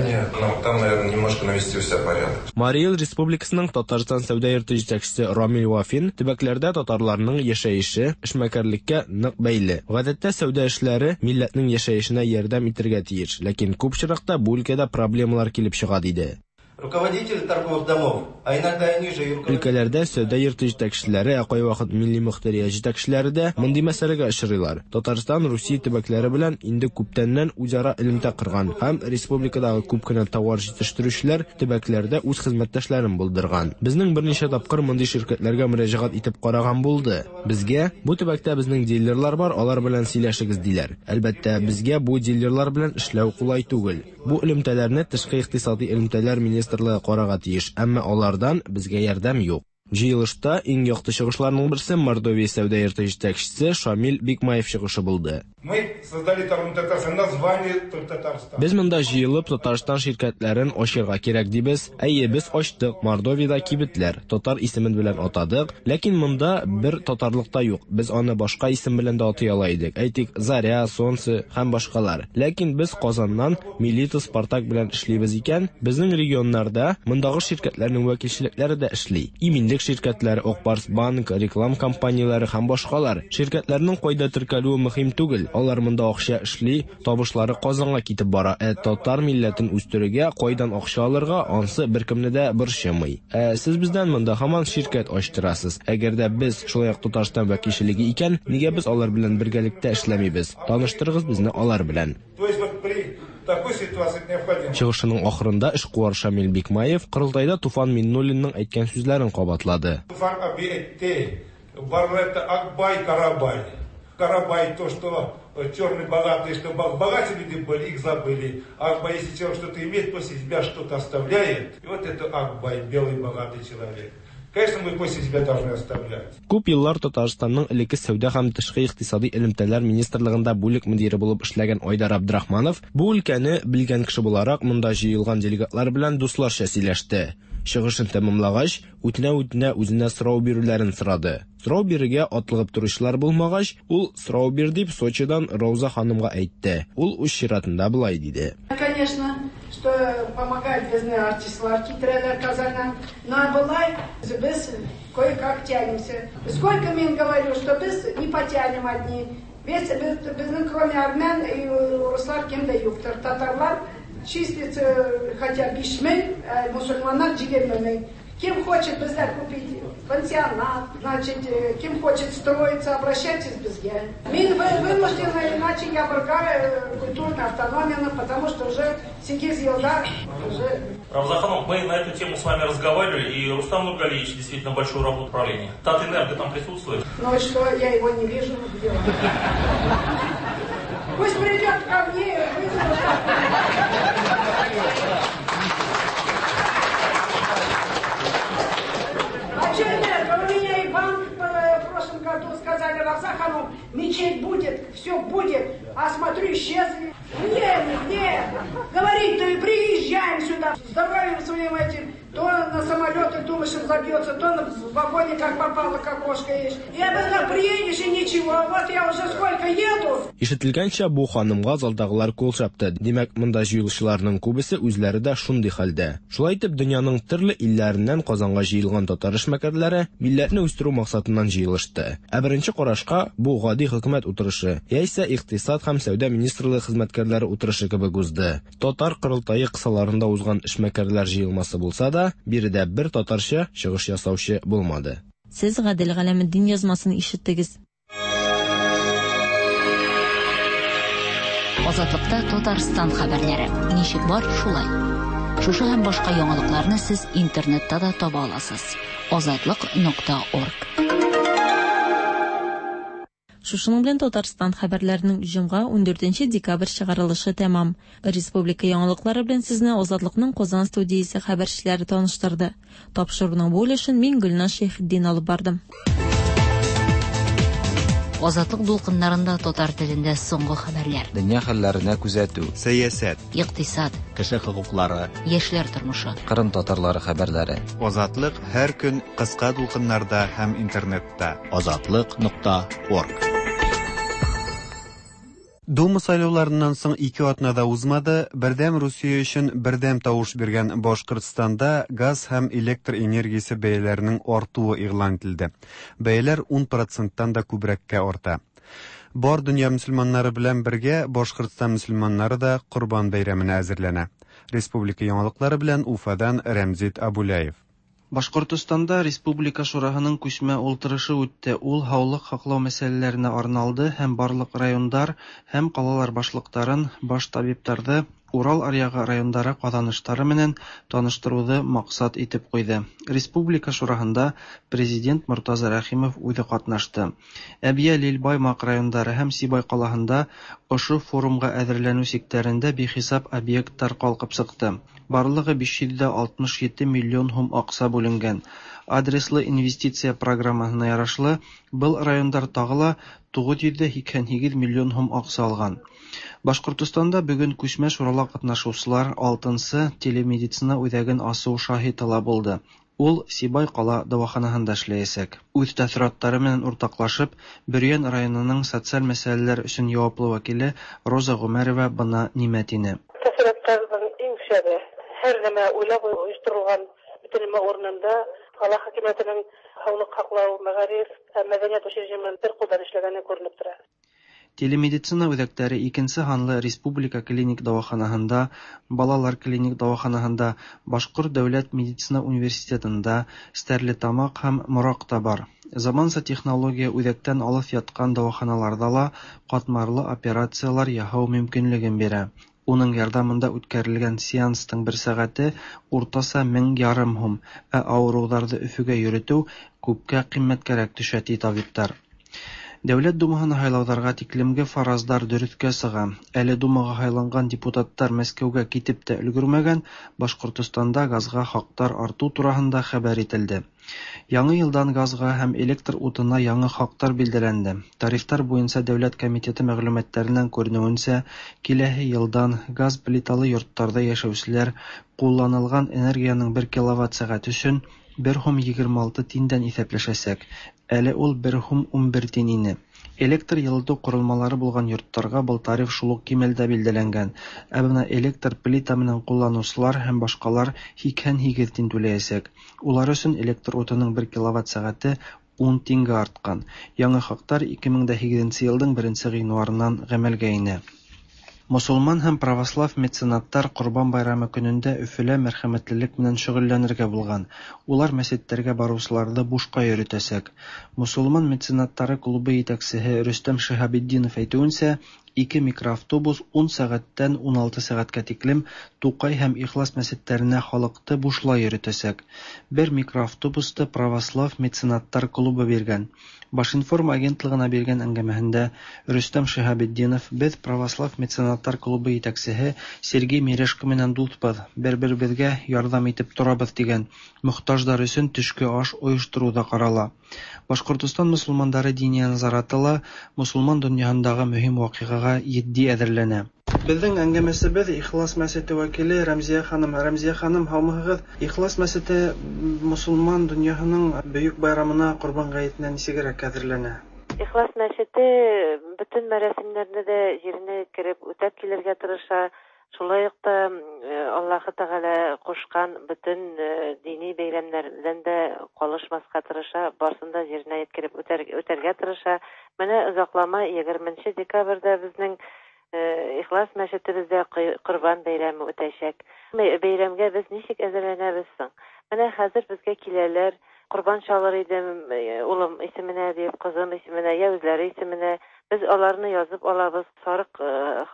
Марий Эл Республикасының Татарстан сәүдә йорты җитәкчесе Рамил Вафин төбәкләрдә татарларның яшәеше эшмәкәрлеккә нык бәйле. Гадәттә сәүдә эшләре милләтнең яшәешенә ярдәм итергә тиеш, ләкин күп очракта бу өлкәдә проблемалар килеп чыга, диде. Руководители торговых домов, а иногда и ниже. Өлкәләрдә сәүдә йорты җитәкчеләре, ә кайвакыт милли мохтария җитәкчеләре дә мондый мәсьәләгә очрыйлар. Татарстан Русия төбәкләре белән инде күптәннән үзара элемтә корган һәм республикадагы күп кенә товар җитештерүчеләр төбәкләрдә үз хезмәттәшләрен булдырган. Безнең берничә тапкыр мондый ширкәтләргә мөрәҗәгать итеп караган булды. Безгә, бу төбәктә безнең дилерлар бар, алар белән сөйләшегез, диләр. Әлбәттә, безгә бу дилерлар белән эшләү кулай түгел. Бу элемтәләрне Тышкы икътисадый элемтәләр министрлыгы карарга тиеш, әмма алардан безгә ярдәм юк. Җыелышта иң якты чыгышларның берсе Мордовия сәүдә йорты җитәкчесе Шамил Бикмаев чыгышы булды. Мы создали торговый Татарстан, название Татарстан. Без монда җыелып Татарстан ширкәтләрен ачырга кирәк дибез. Әйе, без ачтык Мордовиядә кибетләр, татар исемен белән атадык, ләкин монда бер татарлык та юк, без аны башка исем белән дә атый ала идек, әйтик, Заря, Солнце һәм башкалар. Ләкин без Казаннан Милита, Спартак белән эшлибез икән, безнең регионнарда мондагы ширкәтләрнең вәкилчелекләре дә эшли. Иминлек ширкәтләре, Ак Барс Банк, реклам компанияләре һәм башкалар. Ширкәтләрнең кайда теркәлүе мөһим түгел, алар монда акча эшли, табышлары Казанга китеп бара, ә татар милләтен үстерергә кайдан акча алырга, ансы беркемне дә борчымый. Ә сез бездән монда һаман ширкәт ачтырасыз. Әгәр дә без шулай ук Татарстан вәкилчелеге икән, нигә без алар белән бергәлектә эшләмибез? Таныштырыгыз безне алар белән. То есть вот при такой ситуации необходимо. Чыгышының ахырында эшкуар Шамил Бикмаев корылтайда Туфан Миңнуллинның әйткән сүзләрен кабатлады. Туфан абый әйтте, Барлетта Акбай, Карабай. Карабай то, что черный богатый, что богатые люди были, их забыли. Акбай, если человек что-то имеет, после себя что-то оставляет. И вот это Акбай, белый богатый человек. Конечно, мы после себя должны оставлять. Күп еллар Татарстанның элекке сәүдә һәм тышкы икътисади элемтәләр министрлыгында бүлек мөдире булып эшләгән Айдар Абдрахманов бу өлкәне белгән кеше буларак монда җыелган делегатлар белән дусларча сөйләште. Чыгышын тәмамлагач, үтенә-үтенә үзенә сорау бирүләрен сорады. Сорау бирергә атлыгып торучылар булмагач, ул сорау бир дип Сочидан Рауза ханымга әйтте. Ул үз чиратында болай диде. Конечно, что помогает безне артистлар китерәләр Казаннан. Но болай без кое-как тянемся. Сколько мин говорю, что без не потянем одни. Весь безнең кроме армян и урыслар кем дә юктыр. Татарлар числится хотя 5 мең, мусульманнар 20 мең. Кем хочет бездә купить пансионат, значит, кем хочет строиться, обращайтесь безгә. Мин вынуждена, иначе я ябырга культурную автономию, потому что уже 8 елда уже. Равза ханум, мы на эту тему с вами разговаривали, и Рустам Нургалиевич действительно большую работу в управлении. Татэнерго там присутствует. Ну и что, я его не вижу, где он? Пусть придет ко мне, вызову. А что нет? У меня и банк в прошлом году сказали: «Равза ханум, мечеть будет, все будет». А смотрю, исчезли. Нет, нет. Говорить-то и приезжаем сюда, здоровьем своим этим. То на самолеты думаешь, забьется, то в вагоне как попало, как кошка есть. И обязательно приедешь и ничего. Вот я уже сколько еду. Ишетелгәнчә, бу ханымга залдагылар кул чапты. Димәк, монда җыелучыларның күбесе үзләре дә шундый хәлдә. Шулай итеп, дөньяның төрле илләреннән Казанга җыелган татар эшмәкәрләре милләтне үстерү максатыннан җыелышты. Ә беренче карашка бу гади хөкүмәт утырышы, яисә икътисад һәм сәүдә министрлыгы хезмәткәрләре утырышы кебек узды. Татар корылтае кысаларында узган эшмәкәрләр җыелмасы булса да, биредә бер татарча чыгыш ясаучы булмады. Сез Гадел Галәметдин язмасын ишеттегез. Азатлыкта Татарстан хәбәрләре. Ничек бар, шулай. Шушы һәм башка яңалыкларны сез интернетта да таба аласыз. Азатлык.орг. Шушының белән Татарстан хәбәрләренең җомга 14 декабрь чыгарылышы тәмам. Республика яңалыклары белән сезне Азатлыкның Казан студиясе хәбәрчеләре таныштырды. Тапшыруның бу өлешен мин Гөлназ Шәйхетдин алып бардым. Азатлык дулкыннарында татар телендә соңгы хәбәрләр. Дөнья хәлләренә күзәтү. Сәясәт. Икътисад. Кеше хокуклары. Яшьләр тормышы. Кырым татарлары хәбәрләре. Азатлык һәр көн кыска дулкыннарда һәм интернетта. Азатлык.орг. Дума сайлауларыннан соң 2 атна да узмады, Бердәм Русия өчен бердәм тавыш биргән Башкортстанда газ һәм электр энергиясе бәяләренең артуы игълан ителде. Бәяләр 10 проценттан да күбрәккә арта. Бар дөнья мөселманнары белән бергә Башкортстан мөселманнары да Корбан бәйрәменә әзерләнә. Республика яңалыклары белән Уфадан Рәмзит Абуляев. Башкортостанда Республика Шураһының күсмә ултырышы үтте. Ул һаулык һаклау мәсьәләләренә арналды һәм барлык райондар һәм калалар башлыктарын, баш табибтарҙы Урал аръягы райондары ҡаҙаныштары менән таныштырыуҙы маҡсат итеп ҡуйҙы. Республика Шураһында президент Мортаза Рәхимов үҙе ҡатнашты. Әбйәлил, Баймаҡ райондары һәм Сибай ҡалаһында ошо форумға әҙерләнеү сиктәрендә бихисап объекттар ҡалҡып сыҡты. Барлығы 567 миллион һум аҡса бүленгән. Адреслы инвестиция программаһына ярашлы, был райондар тағы ла 988 миллион һум аҡса алған. Башҡортостанда бөгөн күсмә шурала ҡатнашыусылар 6-нсы телемедицина үҙәген асыу шаһиты ла булды. Ул Сибай ҡала дауаханаһында эшләйәсәк. Үҙ тәьҫораттары менән уртаҡлашып, Бөрйән районының социаль мәсьәләләр өсөн яуаплы вәкиле Роза Ғүмәрова бына нимә тине. Тәьҫораттарҙың иң шәбе. Һәр нәмә уйлап ойошторолған, бөтөн нәмә урынында, ҡала хакимиәтенең һаулыҡ һаҡлау, мәғариф һәм мәҙәниәт учреждениеләрен бер ҡулдан эшләгәне күренеп тора. Телемедицина үҙәктәре икенсе һанлы республика клиник дауаханаһында, балалар клиник дауаханаһында, Башҡорт дәүләт медицина университетында, Стәрлетамаҡ һәм Мораҡта бар. Заманса технология үҙәктән алыҫ ятҡан дауаханаларҙа ла ҡатмарлы операциялар яһау мөмкинлеген бирә. Уның ярҙамында үткәрелгән сеанстың бер сәғәте уртаса 1500 һум, ә ауырыуҙарҙы Өфөгә йөрөтөү күпкә ҡиммәткәрәк төшә, ти табиптар. Дәүләт Думаһына һайлауҙарға тиклемге фараздар дөрөҫкә сыға. Әле Думаға һайланған депутаттар Мәскәүгә китеп тә өлгөрмәгән, Башҡортостанда газға хаҡтар артыу тураһында хәбәр ителде. Яңы йылдан газға һәм электр утына яңы хаҡтар билдәләнде. Тарифтар буйынса дәүләт комитеты мәғлүмәттәренән күренеүенсә, киләһе йылдан газ плиталы йорттарҙа йәшәүселәр ҡулланылған энергияның 1 киловатт сәғәт өсөн 1 һум 26 тиндән иҫәпләшәсәк. Әле ул 1 һум 11 тин ине. Электр йылытыу ҡоролмалары булған йорттарға был тариф шул уҡ кимәлдә билдәләнгән. Ә бына электр плита менән ҡулланыусылар һәм башҡалар 88 тин түләйәсәк. Улар өсөн электр утының 1 киловатт сәғәте 10 тингә артҡан. Яңы хаҡтар 2008 йылдың 1 ғинуарынан ғәмәлгә инә. Мосолман һәм православ меценаттар Ҡорбан байрамы көнөндә Өфөлә мәрхәмәтлелек менән шөғөлләнергә булған. Улар мәсеттәргә барыусыларҙы бушҡа йөрөтәсәк. Мосолман меценаттары клубы етәксеһе Рөстәм Шиһабетдинов әйтеүенсә, ике микроавтобус 10 сәғәттән 16 сәғәткә тиклем Туҡай һәм Ихлас мәсеттәренә халыҡты бушлай йөрөтәсәк. Бер микроавтобусты православ меценаттар клубы биргән. Башинформ агентлығына биргән әңгәмәһендә Рөстәм Шиһабетдинов беҙ православ меценаттар клубы етәксеһе Сергей Мережко менән дуҫбыҙ, бер-беребеҙгә ярҙам итеп торабыҙ тигән. Мохтаждар өсөн төшкө аш ойоштороу ҙа ҡарала. Башҡортостан мосолмандары диния назараты ла мосолман донъяһындағы мөһим ваҡиғаға етди әҙерләнә. Беҙҙең әңгәмәсебеҙ Ихлас мәсете вәкиле Рәмзиә ханым. Рәмзиә ханым, һаумыһығыҙ? Ихлас мәсете мосолман донъяһының бөйөк байрамына Ҡорбан ғәйетенә нисегерәк әҙерләнә? Ихлас мәсете бөтөн мәрәсимдәрҙе лә еренә еткереп үтәп килергә тырыша. Шулай уҡ та Аллаһы Тәғәлә ҡушҡан бөтөн дини бәйрәмдәрҙән дә ҡалышмаҫҡа тырыша, барысын да еренә еткереп үтәргә тырыша. Менә оҙаҡламай 20 декабрҙә беҙҙең Ихлас мәсетебеҙҙә Ҡорбан бәйрәме үтәсәк. Бәйрәмгә беҙ нисек әҙерләнәбеҙ соң? Менә хәҙер беҙгә киләләр, ҡорбан чалыр идем, улым исеменә дип, ҡыҙым исеменә, йә үҙләре исеменә. Беҙ аларны яҙып алабыҙ, сарыҡ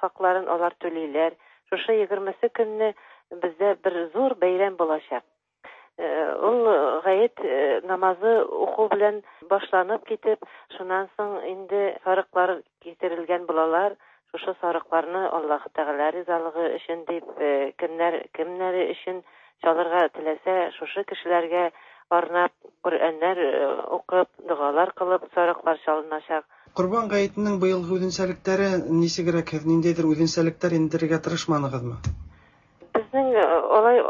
хаҡларын алар түләйләр. Шушы 20 көнне беҙҙә бер ҙур бәйрәм буласаҡ. Ул ғәйет намазы уҡыу белән башланып китеп, шунан һуң инде сарыҡлар китерелгән булалар. Шушы сарыҡларны Аллаһы Тәғәлә ризалығы өсөн дип, кемдәр кемдәре өсөн чалырға теләсә, шушы кешеләргә арнап Ҡөрьәннәр уҡып, доғалар ҡылып сарыҡлар чалынасаҡ. Ҡорбан ғәйетенең быйылғы үҙенсәлектәре нисегерәк? Һеҙ ниндәйҙер үҙенсәлектәр индерергә тырышманығыҙмы? Беҙҙең алай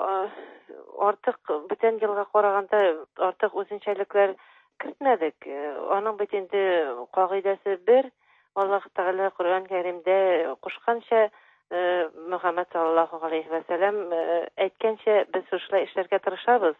артыҡ бүтән йылға ҡарағанда артыҡ үҙенсәлектәр кертмәҙек. Аның бит инде ҡағиҙәсе бер. Аллаһ Тәғәлә Ҡөрьән Кәримдә ҡушҡанса, Мөхәммәд саллаллаһу ғәләйһи вә сәләм әйткәнсә, беҙ шушылай эшләргә тырышабыҙ.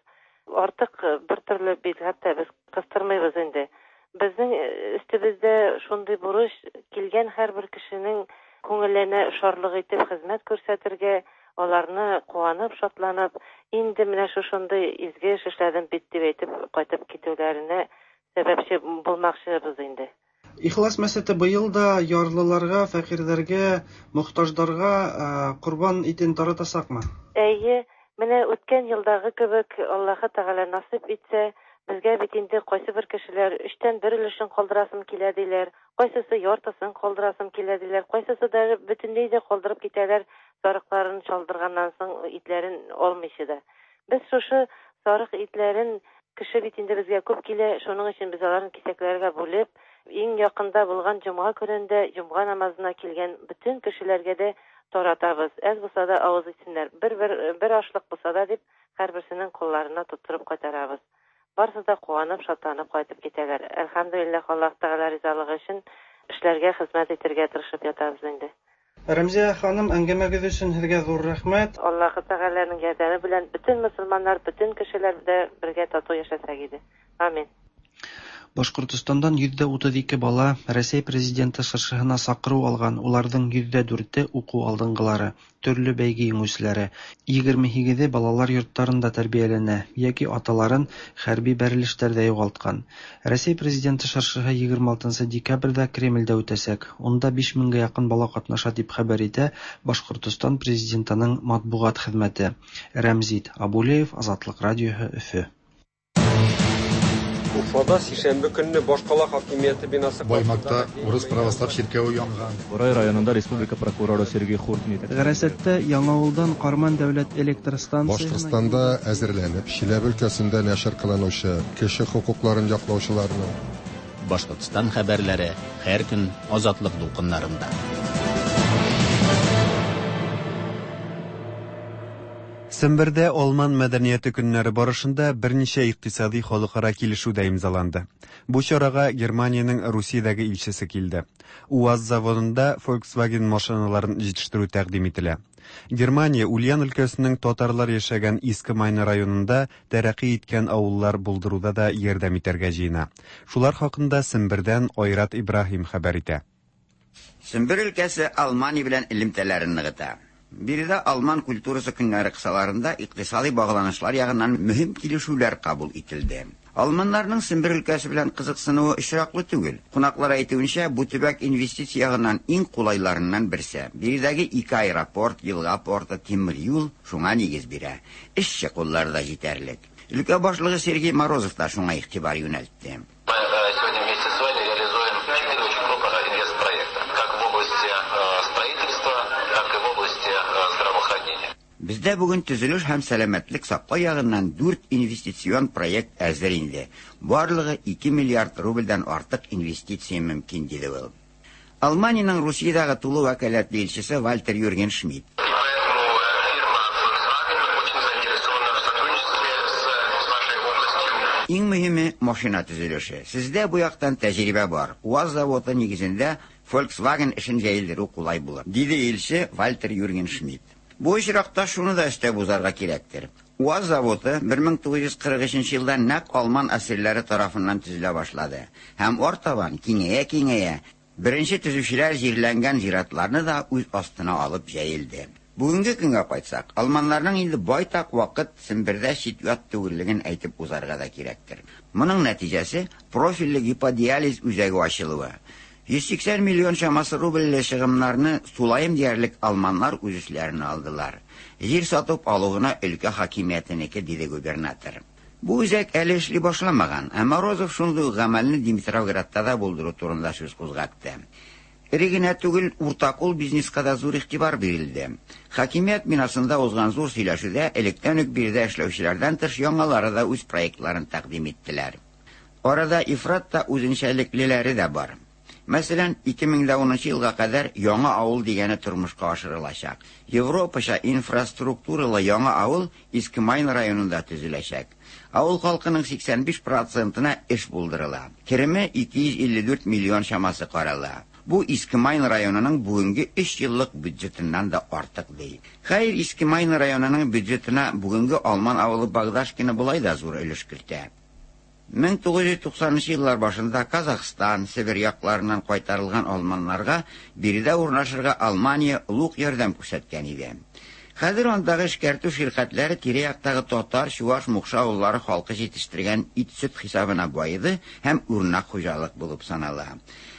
Артыҡ бер төрлө бидғәт тә беҙ ҡыҫтырмайбыҙ инде. Беҙҙең өҫтөбөҙҙә шундай бурыс килгән һәр бер кешенең күңеленә шарлыҡ итеп хеҙмәт күрһәтергә, аларны ҡыуанып, шатланып, инде менә шушындай изге эш эшләдем бит дип әйтеп ҡайтып китеүҙәренә сәбәпсе булмаҡсыбыҙ инде. Ихлас мәсете быйыл да ярлыларға, фәҡирҙәргә, мохтаждарға ҡорбан итен таратасаҡмы? Эйе, менә үткән йылдағы кебек Аллаһы Тәғәлә насип итсә, беҙгә бит инде ҡайсы бер кешеләр өстән бер өлөшөн ҡалдырасым килә тиләр, ҡайсыһы яртысын ҡалдырасым килә тиләр, ҡайсыһы да бөтөнләй ҙә ҡалдырып китәләр, сарыҡларын чалдырғаннан һуң итләрен алмыйсы да. Беҙ шушы сарыҡ итләрен кеше бит инде беҙгә күп килә, шуның өсөн беҙ аларын киҫәкләргә бүлеп, иң яҡында булған йомға көнөндә йомға намазына килгән бөтөн кешеләргә дә таратабыҙ. Әҙ булһа да ауыҙ итһендәр, бер ашлыҡ булһа да дип һәр береһенең ҡулларына тотороп ҡайтарабыҙ. Барыһы да ҡыуанып, шатланып ҡайтып китәләр. Әлхәмдүлилләһ, Аллаһ Тәғәлә ризалығы өсөн эшләргә, хеҙмәт итергә тырышып ятабыҙ инде. Рәмзиә ханым, әңгәмәгеҙ өсөн һеҙгә ҙур рәхмәт. Аллаһ Тәғәләнең ярҙамы белән бөтөн мосолмандар, бөтөн кешеләр дә бергә татыу йәшәсәк ине. Амин. Башҡортостандан 32% бала Рәсәй президенты шыршыһына саҡырыу алған, уларҙың 4%-е уҡыу алдынғылары, төрлө бәйге еңеүселәре, 28-е балалар йорттарында тәрбиәләнә йәки аталарын хәрби бәрелештәрҙә юғалтҡан. Рәсәй президенты шыршыһы 26 декабрҙә Кремлдә үтәсәк. Унда 5000-гә яҡын бала ҡатнаша тип хәбәр итә Башҡортостан президентының матбуғат хеҙмәте. Рәмзит Абулеев, Азатлыҡ радиоһы, Өфө. Уфада сишәмбе көнне башкала хакимияте бинасы Баймакта урыс православ чиркәве янган. Борай районында республика прокуроры Сергей Хуртин Гарасәттә Яңавылдан Карман дәүләт электр станциясенә Башкортстанда әзерләнеп, Чиләбе өлкәсендә нәшер кылынучы кеше хокукларын яклаучыларның Башкортстан хәбәрләре һәр көн Азатлык дулкыннарында. Сембердә Алман мәдәнияте көннәре барышында берничә икътисади халыкара килешү дә имзаланды. Бу чарага Германиянең Русиядәге илчесе килде. УАЗ заводында Volkswagen машиналарын җитештерү тәкъдим ителә. Германия Ульян өлкәсенең татарлар яшәгән Иске Майна районында тәрәкъи иткән авыллар булдыруда да ярдәм итәргә җыена. Шулар хакында Сембердән Айрат Ибраһим хәбәр итә. Сембер өлкәсе Алмания белән элемтәләрен ныгыта. Биредә алман культурасы көннәре кысаларында икътисади багланышлар ягыннан мөһим килешүләр кабул ителде. Алманнарның Сембер өлкәсе белән кызыксынуы очраклы түгел. Кунаклар әйтүенчә, бу төбәк инвестиция ягыннан иң кулайларыннан берсе. Биредәге ике аэропорт, елга порты, тимер юл шуңа нигез бирә. Эшче куллар да җитәрлек. Өлкә башлыгы Сергей Морозов та шуңа игътибар юнәлтте. Мы сегодня вместе с вами реализуем четыре очень крупных инвестпроекта, как в области строительства, так и в области здравоохранения. Бездә бүген төзелеш һәм сәламәтлек саклау ягыннан 4 инвестицион проект әзер инде. Барлыгы 2 миллиард рубльдән артык инвестиция мөмкин, диде ул. Алманиянең Русиядәге тулы вәкаләтле илчесе Вальтер Юрген Шмидт. Иң мөһиме машина төзелеше. Сездә бу яктан тәҗрибә бар. УАЗ заводы нигезендә Volkswagen эшен җәелдерү кулай булыр, диде илче Вальтер Юрген Шмидт. Бу очракта шуны да өстәп узарга кирәктер. УАЗ заводы 1943 елда нәкъ алман әсирләре тарафыннан төзелә башлады һәм артабан киңәя-киңәя беренче төзүчеләр җирләнгән зиратларны да үз астына алып җәелде. Бүгенге көнгә кайтсак, алманнарның инде байтак вакыт Сембердә чит-ят түгеллеген әйтеп узарга да кирәктер. Моның нәтиҗәсе профильле гиподиализ үзәге ачылуы. 180 миллион чамасы рубльле чыгымнарны тулаем диярлек алманнар үз өсләренә алдылар. Җир сатып алу гына өлкә хакимиятенеке, диде губернатор. Бу үзәк әле эшли башламаган, ә Морозов шундый ук гамәлне Димитровградта да булдыру турында сүз кузгатты. Эре генә түгел, уртакул бизнеска да зур игътибар бирелде. Хакимият бинасында узган зур сөйләшүдә электән үк биредә эшләүчеләрдән тыш яңалары да үз проектларын тәкъдим иттеләр. Арада ифрат та үзенчәлеклеләре дә бар. Мәсәлән, 2010 елга кадәр яңа авыл дигәне тормышка ашырылачак. Европача инфраструктуралы яңа авыл Иске Майн районында төзеләчәк. Авыл халкының 85 процентына эш булдырыла. Кереме 254 миллион чамасы карала. Бу Иске Майн районының бүгенге 3 еллык бюджетыннан да артык ди. Хәер, Иске Майн районының бюджетына бүгенге алман авылы Багдашкино болай да зур өлеш кертә. 1990 еллар башында Казахстан, Себер якларыннан кайтарылган алманнарга биредә урнашырга Алмания олуг ярдәм күрсәткән иде. Хәзер андагы эшкәртү ширкәтләре тирә-яктагы татар, чуаш, мукшы авыллары халкы җитештергән ит-сөт хисабына баеды һәм үрнәк хуҗалык булып санала.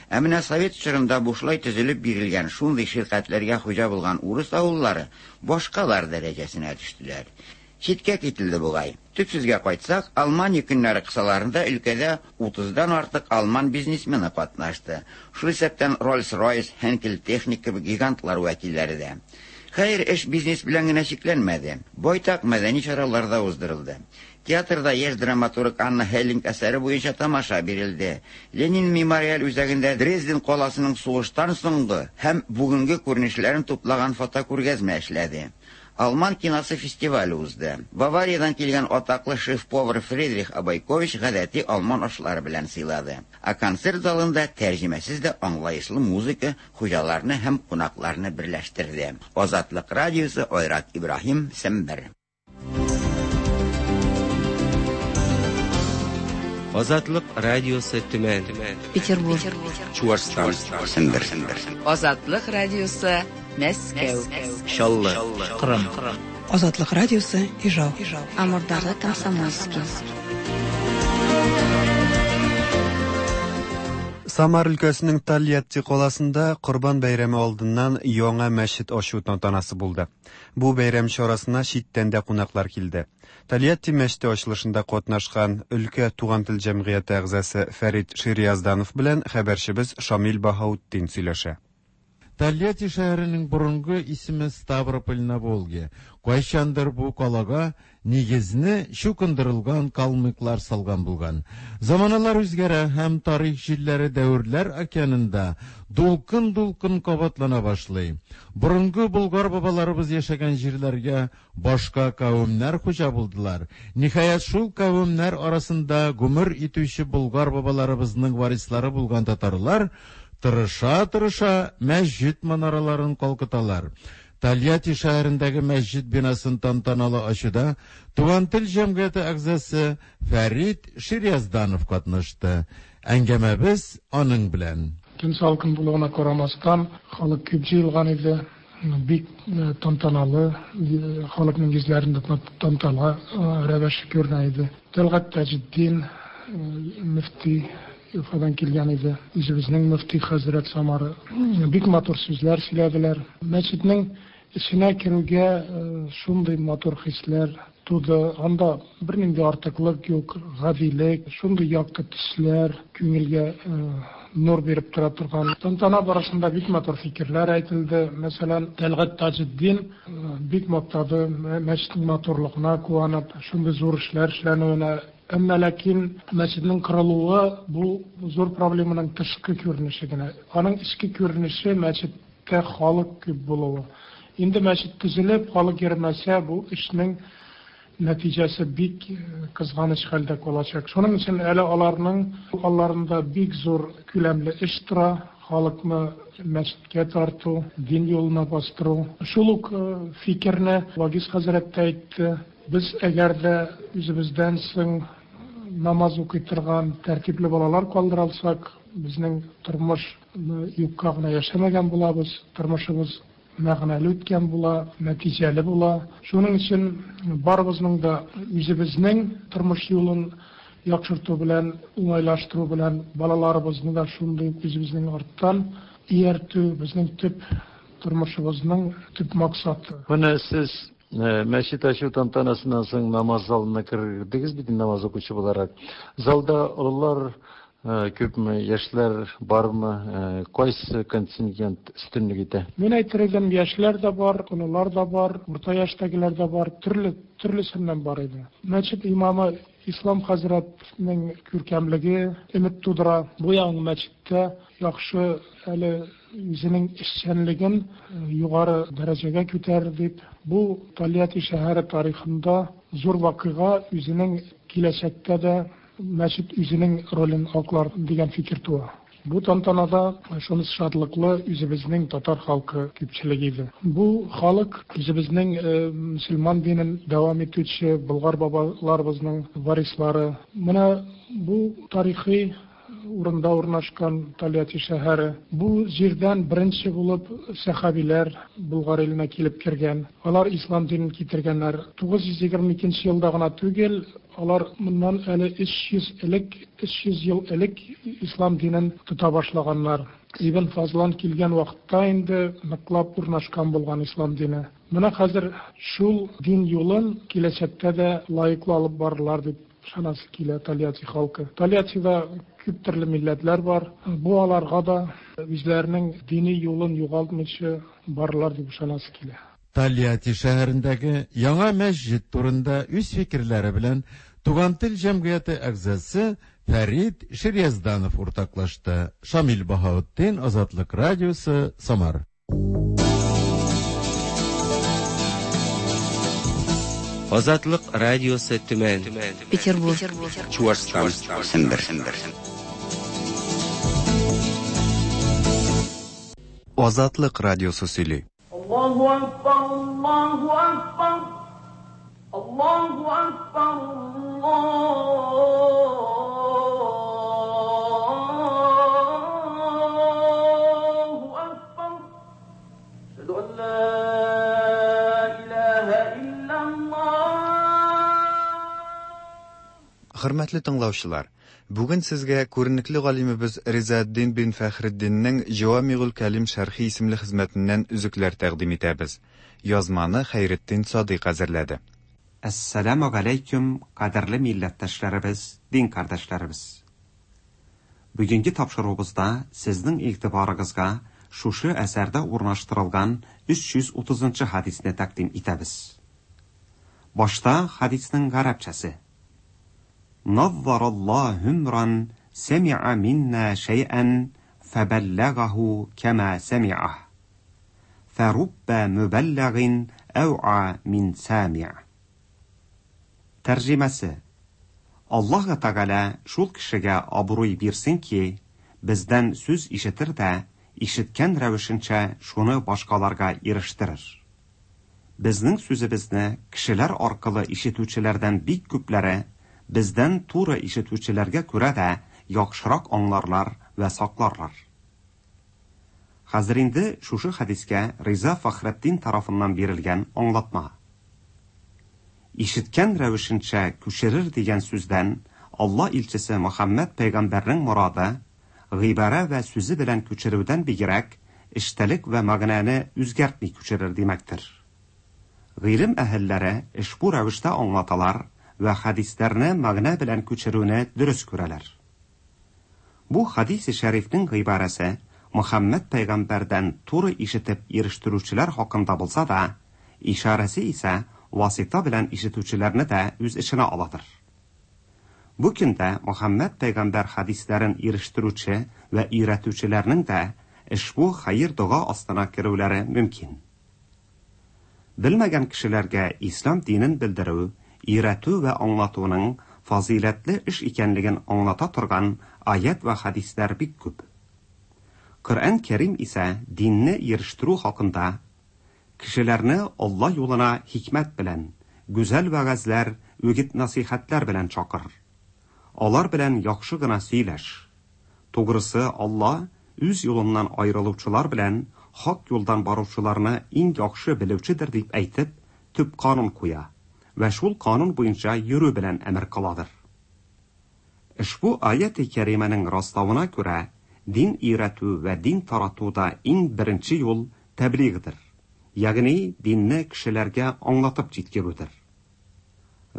Ә менә совет чорында бушлай төзелеп бирелгән шундый ширкәтләргә хуҗа булган урыс авыллары башкалар дәрәҗәсенә төштеләр. Читкә кителде бугай. Төп сүзгә кайтсак, Алмания көннәре кысаларында өлкәдә 30-дан артык алман бизнесмены катнашты. Шул исәптән Rolls-Royce, Henkel Technik кебек гигантлар вәкилләре дә. Хәер, эш бизнес белән генә чикләнмәде. Байтак мәдәни чаралар да уздырылды. Театрда яшь драматург Анна Хеллинг әсәре буенча тамаша бирелде. Ленин мемориаль үзәгендә Дрезден каласының сугыштан соңгы һәм бүгенге күренешләрен туплаган фотокүргәзмә эшләде. Алман киносы фестивале узды. Бавариядән килгән атаклы шеф-повар Фридрих Абайкович гадәти алман ашлары белән сыйлады. Ә концерт залында тәрҗемәсез дә аңлаешлы музыка хуҗаларны һәм кунакларны берләштерде. Азатлык радиосы Айрат Ибраһим, Сембер. Азатлык радиосы Төмән. Петербург. Чуашстан. Сембер. Азатлык радиосы Мәскәү. Чаллы. Кырым. Азатлык радиосы Ижау. Амурдагы Комсомольский. Самар өлкәсенең Тольятти каласында Корбан бәйрәме алдыннан яңа мәчет ачу тантанасы булды. Бу бәйрәм чарасына читтән дә кунаклар килде. Тольятти мәчете ачылышында катнашкан өлкә Туган тел җәмгыяте әгъзасы Фәрит Шириязданов белән хәбәрчебез Шамил Баһаутдин сөйләшә. Тольятти шәһәренең борынгы исеме Ставрополь на Волге. Кайчандыр бу калага нигезне чукындырылган калмыклар салган булган. Заманалар үзгәрә һәм тарих җилләре дәверләр океанында дулкын-дулкын кабатлана башлый. Борынгы болгар бабаларыбыз яшәгән җирләргә башка кавемнәр хуҗа булдылар. Ниһаять, шул кавемнәр арасында гомер итүче болгар бабаларыбызның варислары булган татарлар тырыша-тырыша мәсҗид манараларын калкыталар. Тольятти шәһәрендәге мәсҗид бинасын тантаналы ачуда Туган тел җәмгыяте әгъзасы Фәрит Шириязданов катнашты. Әңгәмәбез аның белән. Көн салкын булуына карамастан, халык күп җыелган иде. Бик тантаналы, халыкның йөзләрендә тантана рәвеше күренә иде. Тәлгать Таҗетдин мөфти Уфадан килгән иде. Үзебезнең мөфти хәзрәт Самара. Бик матур сүзләр сөйләделәр. Мәчетнең эченә керүгә шундый матур хисләр туды. Анда бернинди артыклык юк, гадилек, шундый якты төсләр, күңелгә нур биреп тора торган. Тантана барышында бик матур фикерләр әйтелде. Мәсәлән, Тәлгать Таҗетдин бик мактады, мәчетнең матурлыгына куанып, шундый зур эшләр эшләнүенә. Әмма ләкин мәчетнең корылуы бу зур проблеманың тышкы күренеше генә. Аның эчке күренеше мәчеттә халык күп булуы. Инде мәчет төзелеп, халык йөрмәсә, бу эшнең нәтиҗәсе бик кызганыч хәлдә калачак. Шуның өчен әле аларның алларында бик зур күләмле эш тора, халыкны мәчеткә тарту, дин юлына бастыру. Шул ук фикерне Вагиз хәзрәт тә әйтте. Без әгәр дә үзебездән соң намаз укый торган тәртипле балалар калдыра алсак, безнең тормыш юкка гына яшәмәгән булабыз, тормышыбыз мәгънәле үткән була, нәтиҗәле була. Шуның өчен барыбызның да үзебезнең тормыш юлын яхшырту белән, уңайлаштыру белән балаларыбызны да шундый ук үзебезнең арттан ияртү безнең төп тормышыбызның төп максаты. Менә сез мәчет ачу тантанасыннан соң намаз залына кердегез бит намаз укучы буларак. Залда олылар күпме, яшьләр бармы, кайсы контингент өстенлек итә? Мин әйтер идем, яшьләр дә бар, олылар да бар, урта яшьтәгеләр дә бар, төрле, төрлесеннән бар иде. Мәчет имамы Ислам хәзрәтнең күркәмлеге өмет тудыра. Бу яңа мәчеттә яхшы әле үзенең эшчәнлеген югары дәрәҗәгә күтәрер дип, бу Тольятти шәһәре тарихында зур вакыйга, үзенең киләчәктә дә мәчет үзенең ролен аклар дигән фикер туа. Бу тантанада шунысы шатлыклы, үзебезнең татар халкы күпчелек иде. Бу халык үзебезнең мөселман динен дәвам итүче болгар бабаларыбызның варислары. Менә бу тарихи урында урнашкан Тольятти шәһәре. Бу җирдән беренче булып сәхабиләр Болгар иленә килеп кергән. Алар ислам динен китергәннәр. 922 елда гына түгел, алар моннан әле 300 элек, 300 ел элек ислам динен тота башлаганнар. Ибн Фазлан килгән вакытта инде ныклап урнашкан булган ислам дине. Менә хәзер шул дин юлын киләчәктә дә лаеклы алып барырлар дип ышанасы килә Тольятти халкы. Тольяттида күп төрле милләтләр бар. Бу аларга да үзләренең дини юлын югалтмыйча барырлар дип ышанасы килә. Тольятти шәһәрендәге яңа мәсҗид турында үз фикерләре белән Туган тел җәмгыяте әгъзасы Фәрит Шириязданов уртаклашты. Шамил Баһаутдин, Азатлык радиосы, Самар. Азатлык радиосы Төмән. Петербург. Чуашстан. Сембер. Азатлык радиосы сөйли. Аллаһу акбар, Аллаһу акбар, Аллаһу акбар, Аллаһу акбар. Әшһәду ан ла илаһа иллаллаһ. Хөрмәтле тыңлаучылар, бүген сезгә күренекле галимебез Ризаэддин бин Фәхретдиннең Җавамигуль кәлим шәрхи исемле хезмәтеннән өзекләр тәкъдим итәбез. Язманы Хәйретдин Садыйк әзерләде. Әссәламү галәйкүм, кадерле милләттәшләребез, дин кардәшләребез! Бүгенге тапшыруыбызда сезнең игътибарыгызга шушы әсәрдә урнаштырылган 330 нчы хәдисне тәкъдим итәбез. Башта хәдиснең гарәпчәсе. Наззараллаһу имран сәми'a минна шәй'ән фәбәлләгаһу кәма сәми'аһ. Фәруббә мөбәлләгин әү'a мин сәми'ь. Тәрҗемәсе. Аллаһы Тәгалә шул кешегә абруй бирсен ки, бездән сүз ишетер дә, ишеткән рәвешенчә шуны башкаларга ирештерер. Безнең сүзебезне кешеләр аркылы ишетүчеләрдән бик күпләре бездән туры ишетүчеләргә күрә дә яхшырак аңларлар вә сакларлар. Хәзер инде шушы хәдискә Риза Фәхретдин тарафыннан бирелгән аңлатма. Ишеткән рәвешенчә күчерер дигән сүздән Алла илчесе Мөхәммәд пәйгамбәрнең морады, гыйбарә вә сүзе белән күчерүдән бигрәк, эчтәлек вә мәгънәне үзгәртми күчерер димәктер. Гыйлем әһелләре ошбу рәвештә аңлаталар вә хәдисләрне мәгънә белән күчерүне дөрес күрәләр. Бу хәдисе шәрифнең гыйбарәсе Мөхәммәд пәйгамбәрдән туры ишетеп ирештерүчеләр хакында булса да, ишарәсе исә васита белән ишетүчеләрне дә үз эченә аладыр. Бу көндә Мөхәммәд пәйгамбәр хәдисләрен ирештерүче вә өйрәтүчеләрнең дә ошбу хәер-дога астына керүләре мөмкин. Белмәгән кешеләргә ислам динен белдерү, өйрәтү вә аңлатуның фазыйләтле эш икәнлеген аңлата торган аять вә хәдисләр бик күп. Коръән Кәрим исә динне ирештерү хакында, Кешеләрне Алла юлына хикмәт белән, гүзәл вәгазьләр, үгет-насыйхәтләр белән чакыр. Алар белән яхшы гына сөйләш. Тугрысы, Алла үз юлыннан аерылучылар белән хак юлдан баручыларны иң яхшы белүчедер дип әйтеп, төп канун куя вә шул канун буенча йөрү белән әмер кыладыр. Ошбу аяти кәримәнең раславына күрә, дин өйрәтү вә дин таратуда иң беренче юл тәблигъдыр, ягъни динне кешеләргә аңлатып җиткерүдер.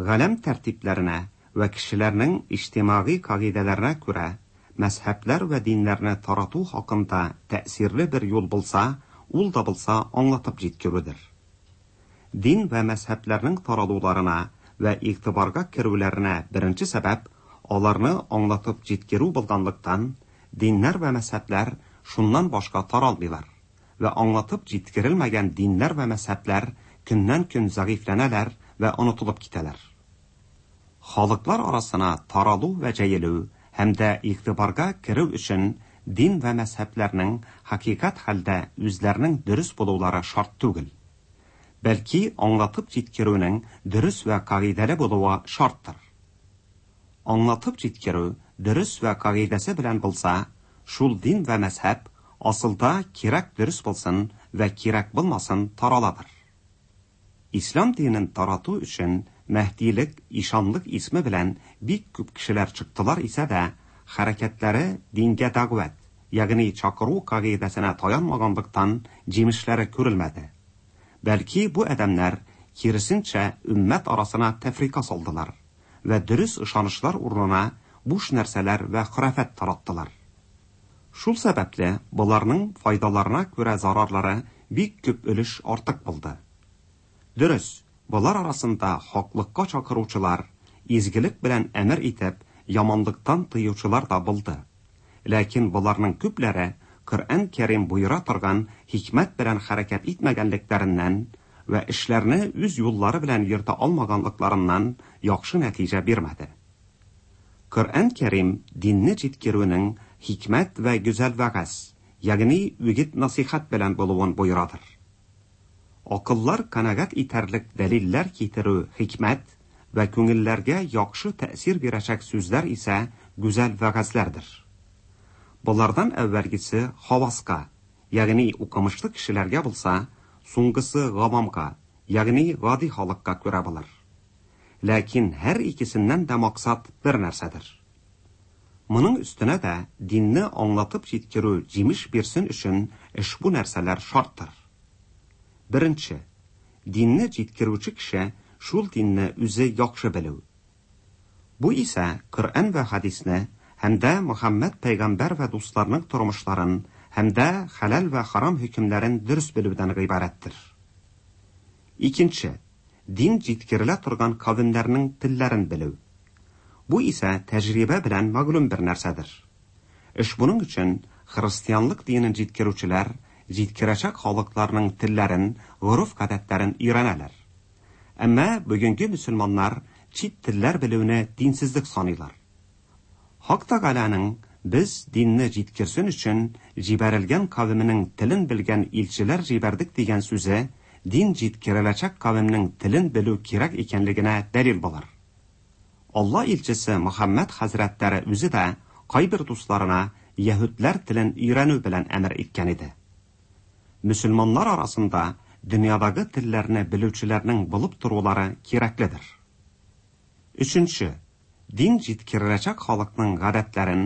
Галәм тәртипләренә вә кешеләрнең иҗтимагый кагыйдәләренә күрә, мәзһәбләр вә диннәрне тарату хакында тәэсирле бер юл булса, ул да булса аңлатып җиткерүдер. Дин вә мәзһәбләрнең таралуларына вә игътибарга керүләренә беренче сәбәп аларны аңлатып җиткерү булганлыктан, диннәр вә мәзһәбләр шуннан башка таралмыйлар вә аңлатып җиткерелмәгән диннәр вә мәзһәбләр көннән-көн зәгыйфьләнәләр вә онытылып китәләр. Халыклар арасына таралу вә җәелү һәм дә игътибарга керү өчен дин вә мәзһәбләрнең хакыйкать хәлдә үзләренең дөрес булулары шарт түгел. Бәлки аңлатып җиткерүнең дөрес вә кагыйдәле булуы шарттыр. Аңлатып җиткерү дөрес вә кагыйдәсе белән булса, шул дин вә мәзһәб асылда кирәк дөрес булсын вә кирәк булмасын тараладыр. Ислам динен тарату өчен Мәһдилек, ишанлык исме белән бик күп кешеләр чыктылар исә дә, хәрәкәтләре дингә дәгъват, ягъни чакыру кагыйдәсенә таянмаганлыктан җимешләре күрелмәде. Бәлки бу адәмнәр, киресенчә, өммәт арасына тәфрика салдылар вә дөрес ышанычлар урынына буш нәрсәләр вә хорафәт тараттылар. Шул сәбәпле боларның файдаларына күрә зарарлары бик күп өлеш артык булды. Дөрес, болар арасында хаклыкка чакыручылар, изгелек белән әмер итеп, яманлыктан тыючылар да булды. Ләкин боларның күпләре Коръән Кәрим боера торган хикмәт белән хәрәкәт итмәгәнлекләреннән вә эшләрне үз юллары белән йөртә алмаганлыкларыннан яхшы нәтиҗә бирмәде. Коръән Кәрим динне җиткерүнең хикмәт вә гүзәл вәгазь, ягъни үгет-насыйхәт белән булуын боерадыр. Акыллар канәгать итәрлек дәлилләр китерү хикмәт вә күңелләргә яхшы тәэсир бирәчәк сүзләр исә гүзәл вәгазьләрдер. Болардан әүвәлгесе хаваска, ягъни укымышлы кешеләргә булса, соңгысы гавамга, ягъни гади халыкка күрә булыр. Ләкин һәр икесеннән дә максат бер нәрсәдер. Моның өстенә дә динне аңлатып җиткерү җимеш бирсен өчен ошбу нәрсәләр шарттыр. Беренче, динне җиткерүче кеше шул динне үзе яхшы белү. Бу исә Коръән вә хәдисне һәм дә Мөхәммәд пәйгамбәр вә дусларының тормышларын һәм дә хәләл вә харам хөкемнәрен дөрес белүдән гыйбарәттер. Икенче, дин җиткерелә торган кавемнәрнең телләрен белү. Бу исә тәҗрибә белән мәгълүм бер нәрсәдер. Ошбуның өчен христианлык динен җиткерүчеләр җиткерәчәк халыкларның телләрен, гореф-гадәтләрен өйрәнәләр. Әмма бүгенге мөселманнар чит телләр белүне динсезлек саныйлар. Хак Тәгаләнең без динне җиткерсен өчен җибәрелгән кавеменең телен белгән илчеләр җибәрдек дигән сүзе дин җиткереләчәк кавемнең телен белү кирәк икәнлегенә дәлил булыр. Алла илчесе Мөхәммәд хәзрәтләре үзе дә кайбер дусларына яһүдләр телен өйрәнү белән әмер иткән иде. Мөселманнар арасында дөньядагы телләрне белүчеләрнең булып торулары кирәкледер. Өченче, дин җиткереләчәк халыкның гадәтләрен,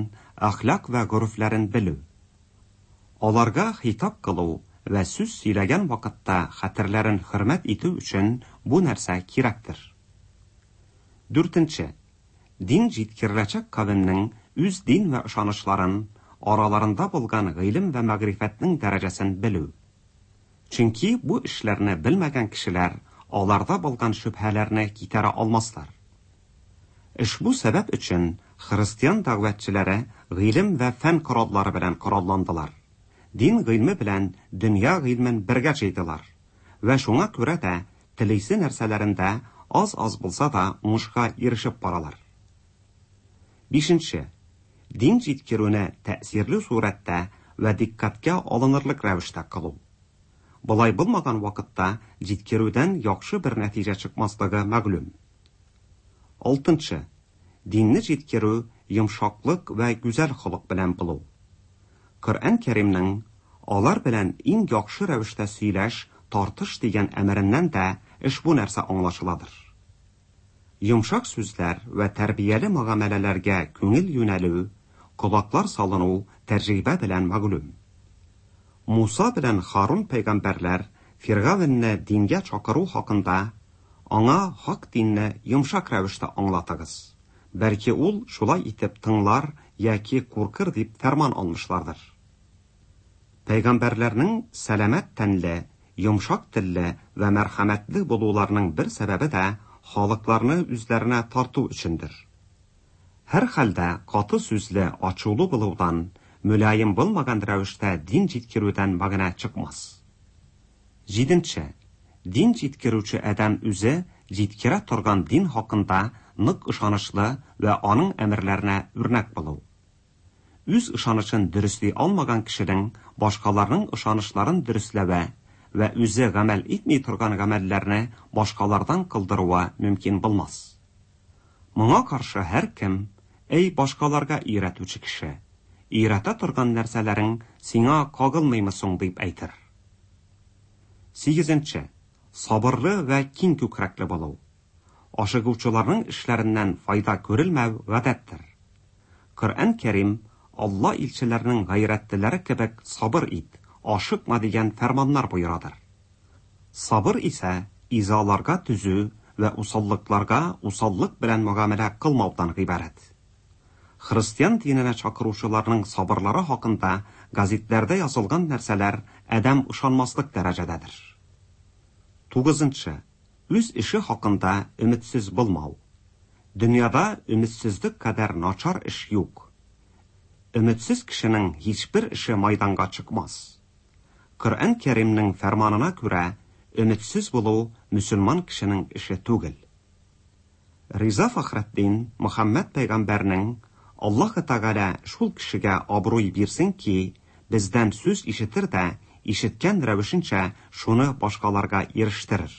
әхлак вә горефләрен белү. Аларга хитап кылу вә сүз сөйләгән вакытта хәтерләрен хөрмәт итү өчен бу нәрсә кирәктер. Дүртенче, дин җиткереләчәк кавемнең үз дин вә ышанычларын, араларында булган гыйлем вә мәгърифәтнең дәрәҗәсен белү. Чөнки бу эшләрне белмәгән кешеләр аларда булган шөбһәләрне китәрә алмаслар. Ошбу сәбәп өчен христиан дәгъватчылары гыйлем вә фән кораллары белән коралландылар. Дин гыйльме белән дөнья гыйльмен бергә җыйдылар. Вә шуңа күрә дә телисе нәрсәләрендә аз-аз булса да уңышка ирешеп баралар. Бишенче, дин җиткерүне тәэсирле сурәттә вә дикъкатькә алынырлык рәвештә кылу. Болай булмаган вакытта җиткерүдән яхшы бер нәтиҗә чыкмаслыгы мәгълүм. Алтынчы, динне җиткерү йомшаклык вә гүзәл холык белән булу. Коръән Кәримнең алар белән иң яхшы рәвештә сөйләш, тартыш дигән әмереннән дә ошбу нәрсә аңлашыладыр. Йомшак сүзләр вә тәрбияле мөгамәләләргә күңел юнәлү, колаклар салыну тәҗрибә белән мәгълүм. Муса белән Харун пәйгамбәрләр Фиргавенне дингә чакыру хакында аңа хак динне йомшак рәвештә аңлатыгыз. Бәлки ул шулай итеп тыңлар яки куркыр дип фәрман алмышлардыр. Пәйгамбәрләрнең сәламәт тәнле, йомшак телле вә мәрхәмәтле булуларының бер сәбәбе дә халыкларны үзләренә тарту өчендер. Һәрхәлдә каты сүзле, ачулы булудан, мөлаем булмаган рәвештә дин җиткерүдән мәгънә чыкмас. Җиденче, дин җиткерүче адәм үзе җиткерә торган дин хакында нык ышанычлы вә аның әмерләренә үрнәк булу. Үз ышанычын дөресли алмаган кешенең башкаларның ышанычларын дөресләве вә үзе гамәл итми торган гамәлләрне башкалардан кылдыруы мөмкин булмас. Моңа каршы һәркем, Әй башкаларга өйрәтүче кеше, өйрәтә торган нәрсәләрең сиңа кагылмыймы соң дип әйтер. Сигезенче, сабырлы вә киң күкрәкле булу. Ашыгучыларның эшләреннән файда күрелмәү гадәттер. Коръән Кәрим Алла илчеләренең гайрәтлеләре кебек сабыр ит, ашыкма дигән фәрманнар боерадыр. Сабыр исә изаларга түзү вә усаллыкларга усаллык белән мөгамәлә кылмаудан гыйбарәт. Христиан диненә чакыручыларның сабырлары хакында газетләрдә язылган нәрсәләр адәм ышанмаслык дәрәҗәдәдер. Тугызынчы, үз эше хакында өметсез булмау. Дөньяда өметсезлек кадәр начар эш юк. Өметсез кешенең һичбер эше майданга чыкмас. Коръән Кәримнең фәрманына күрә, өметсез булу мөселман кешенең эше түгел. Риза Фәхретдин Мөхәммәд пәйгамбәрнең Аллаһы Тәгалә шул кешегә абруй бирсен ки, бездән сүз ишетер дә, ишеткән рәвешенчә шуны башкаларга ирештерер.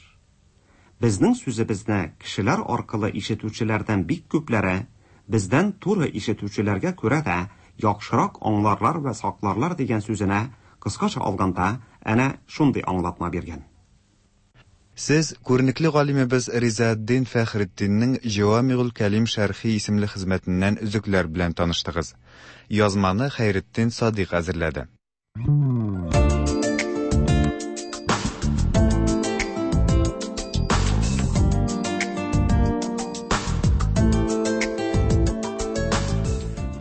Безнең сүзебезне кешеләр аркылы ишетүчеләрдән бик күпләре бездән туры ишетүчеләргә күрә дә яхшырак аңларлар вә сакларлар дигән сүзенә кыскача алганда әнә шундый аңлатма биргән. Сез күренекле галимебез Ризаэддин Фәхретдиннең Җәвамигуль Кәлим шәрхи исемле хезмәтеннән өзекләр белән таныштыгыз. Язманы Хәйретдин Садыйк әзерләде.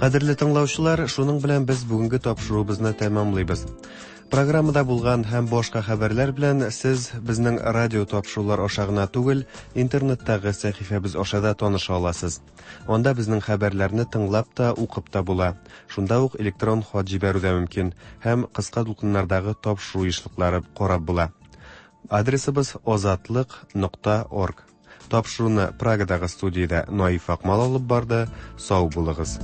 Кадерле тыңлаучылар, шуның белән без бүгенге тапшыруыбызны тәмамлыйбыз. Программада булган һәм башка хәбәрләр белән сез безнең радио тапшырулар аша гына түгел, интернеттагы сәхифәбез аша да таныша аласыз. Анда безнең хәбәрләрне тыңлап та, укып та була. Шунда ук электрон хат җибәрү дә мөмкин һәм кыска дулкыннардагы тапшыру ешлыклары карап була. Адресыбыз озатлык.орг. Тапшыруны Прагадагы студиядә Наиф Акмал алып барды. Сау булыгыз.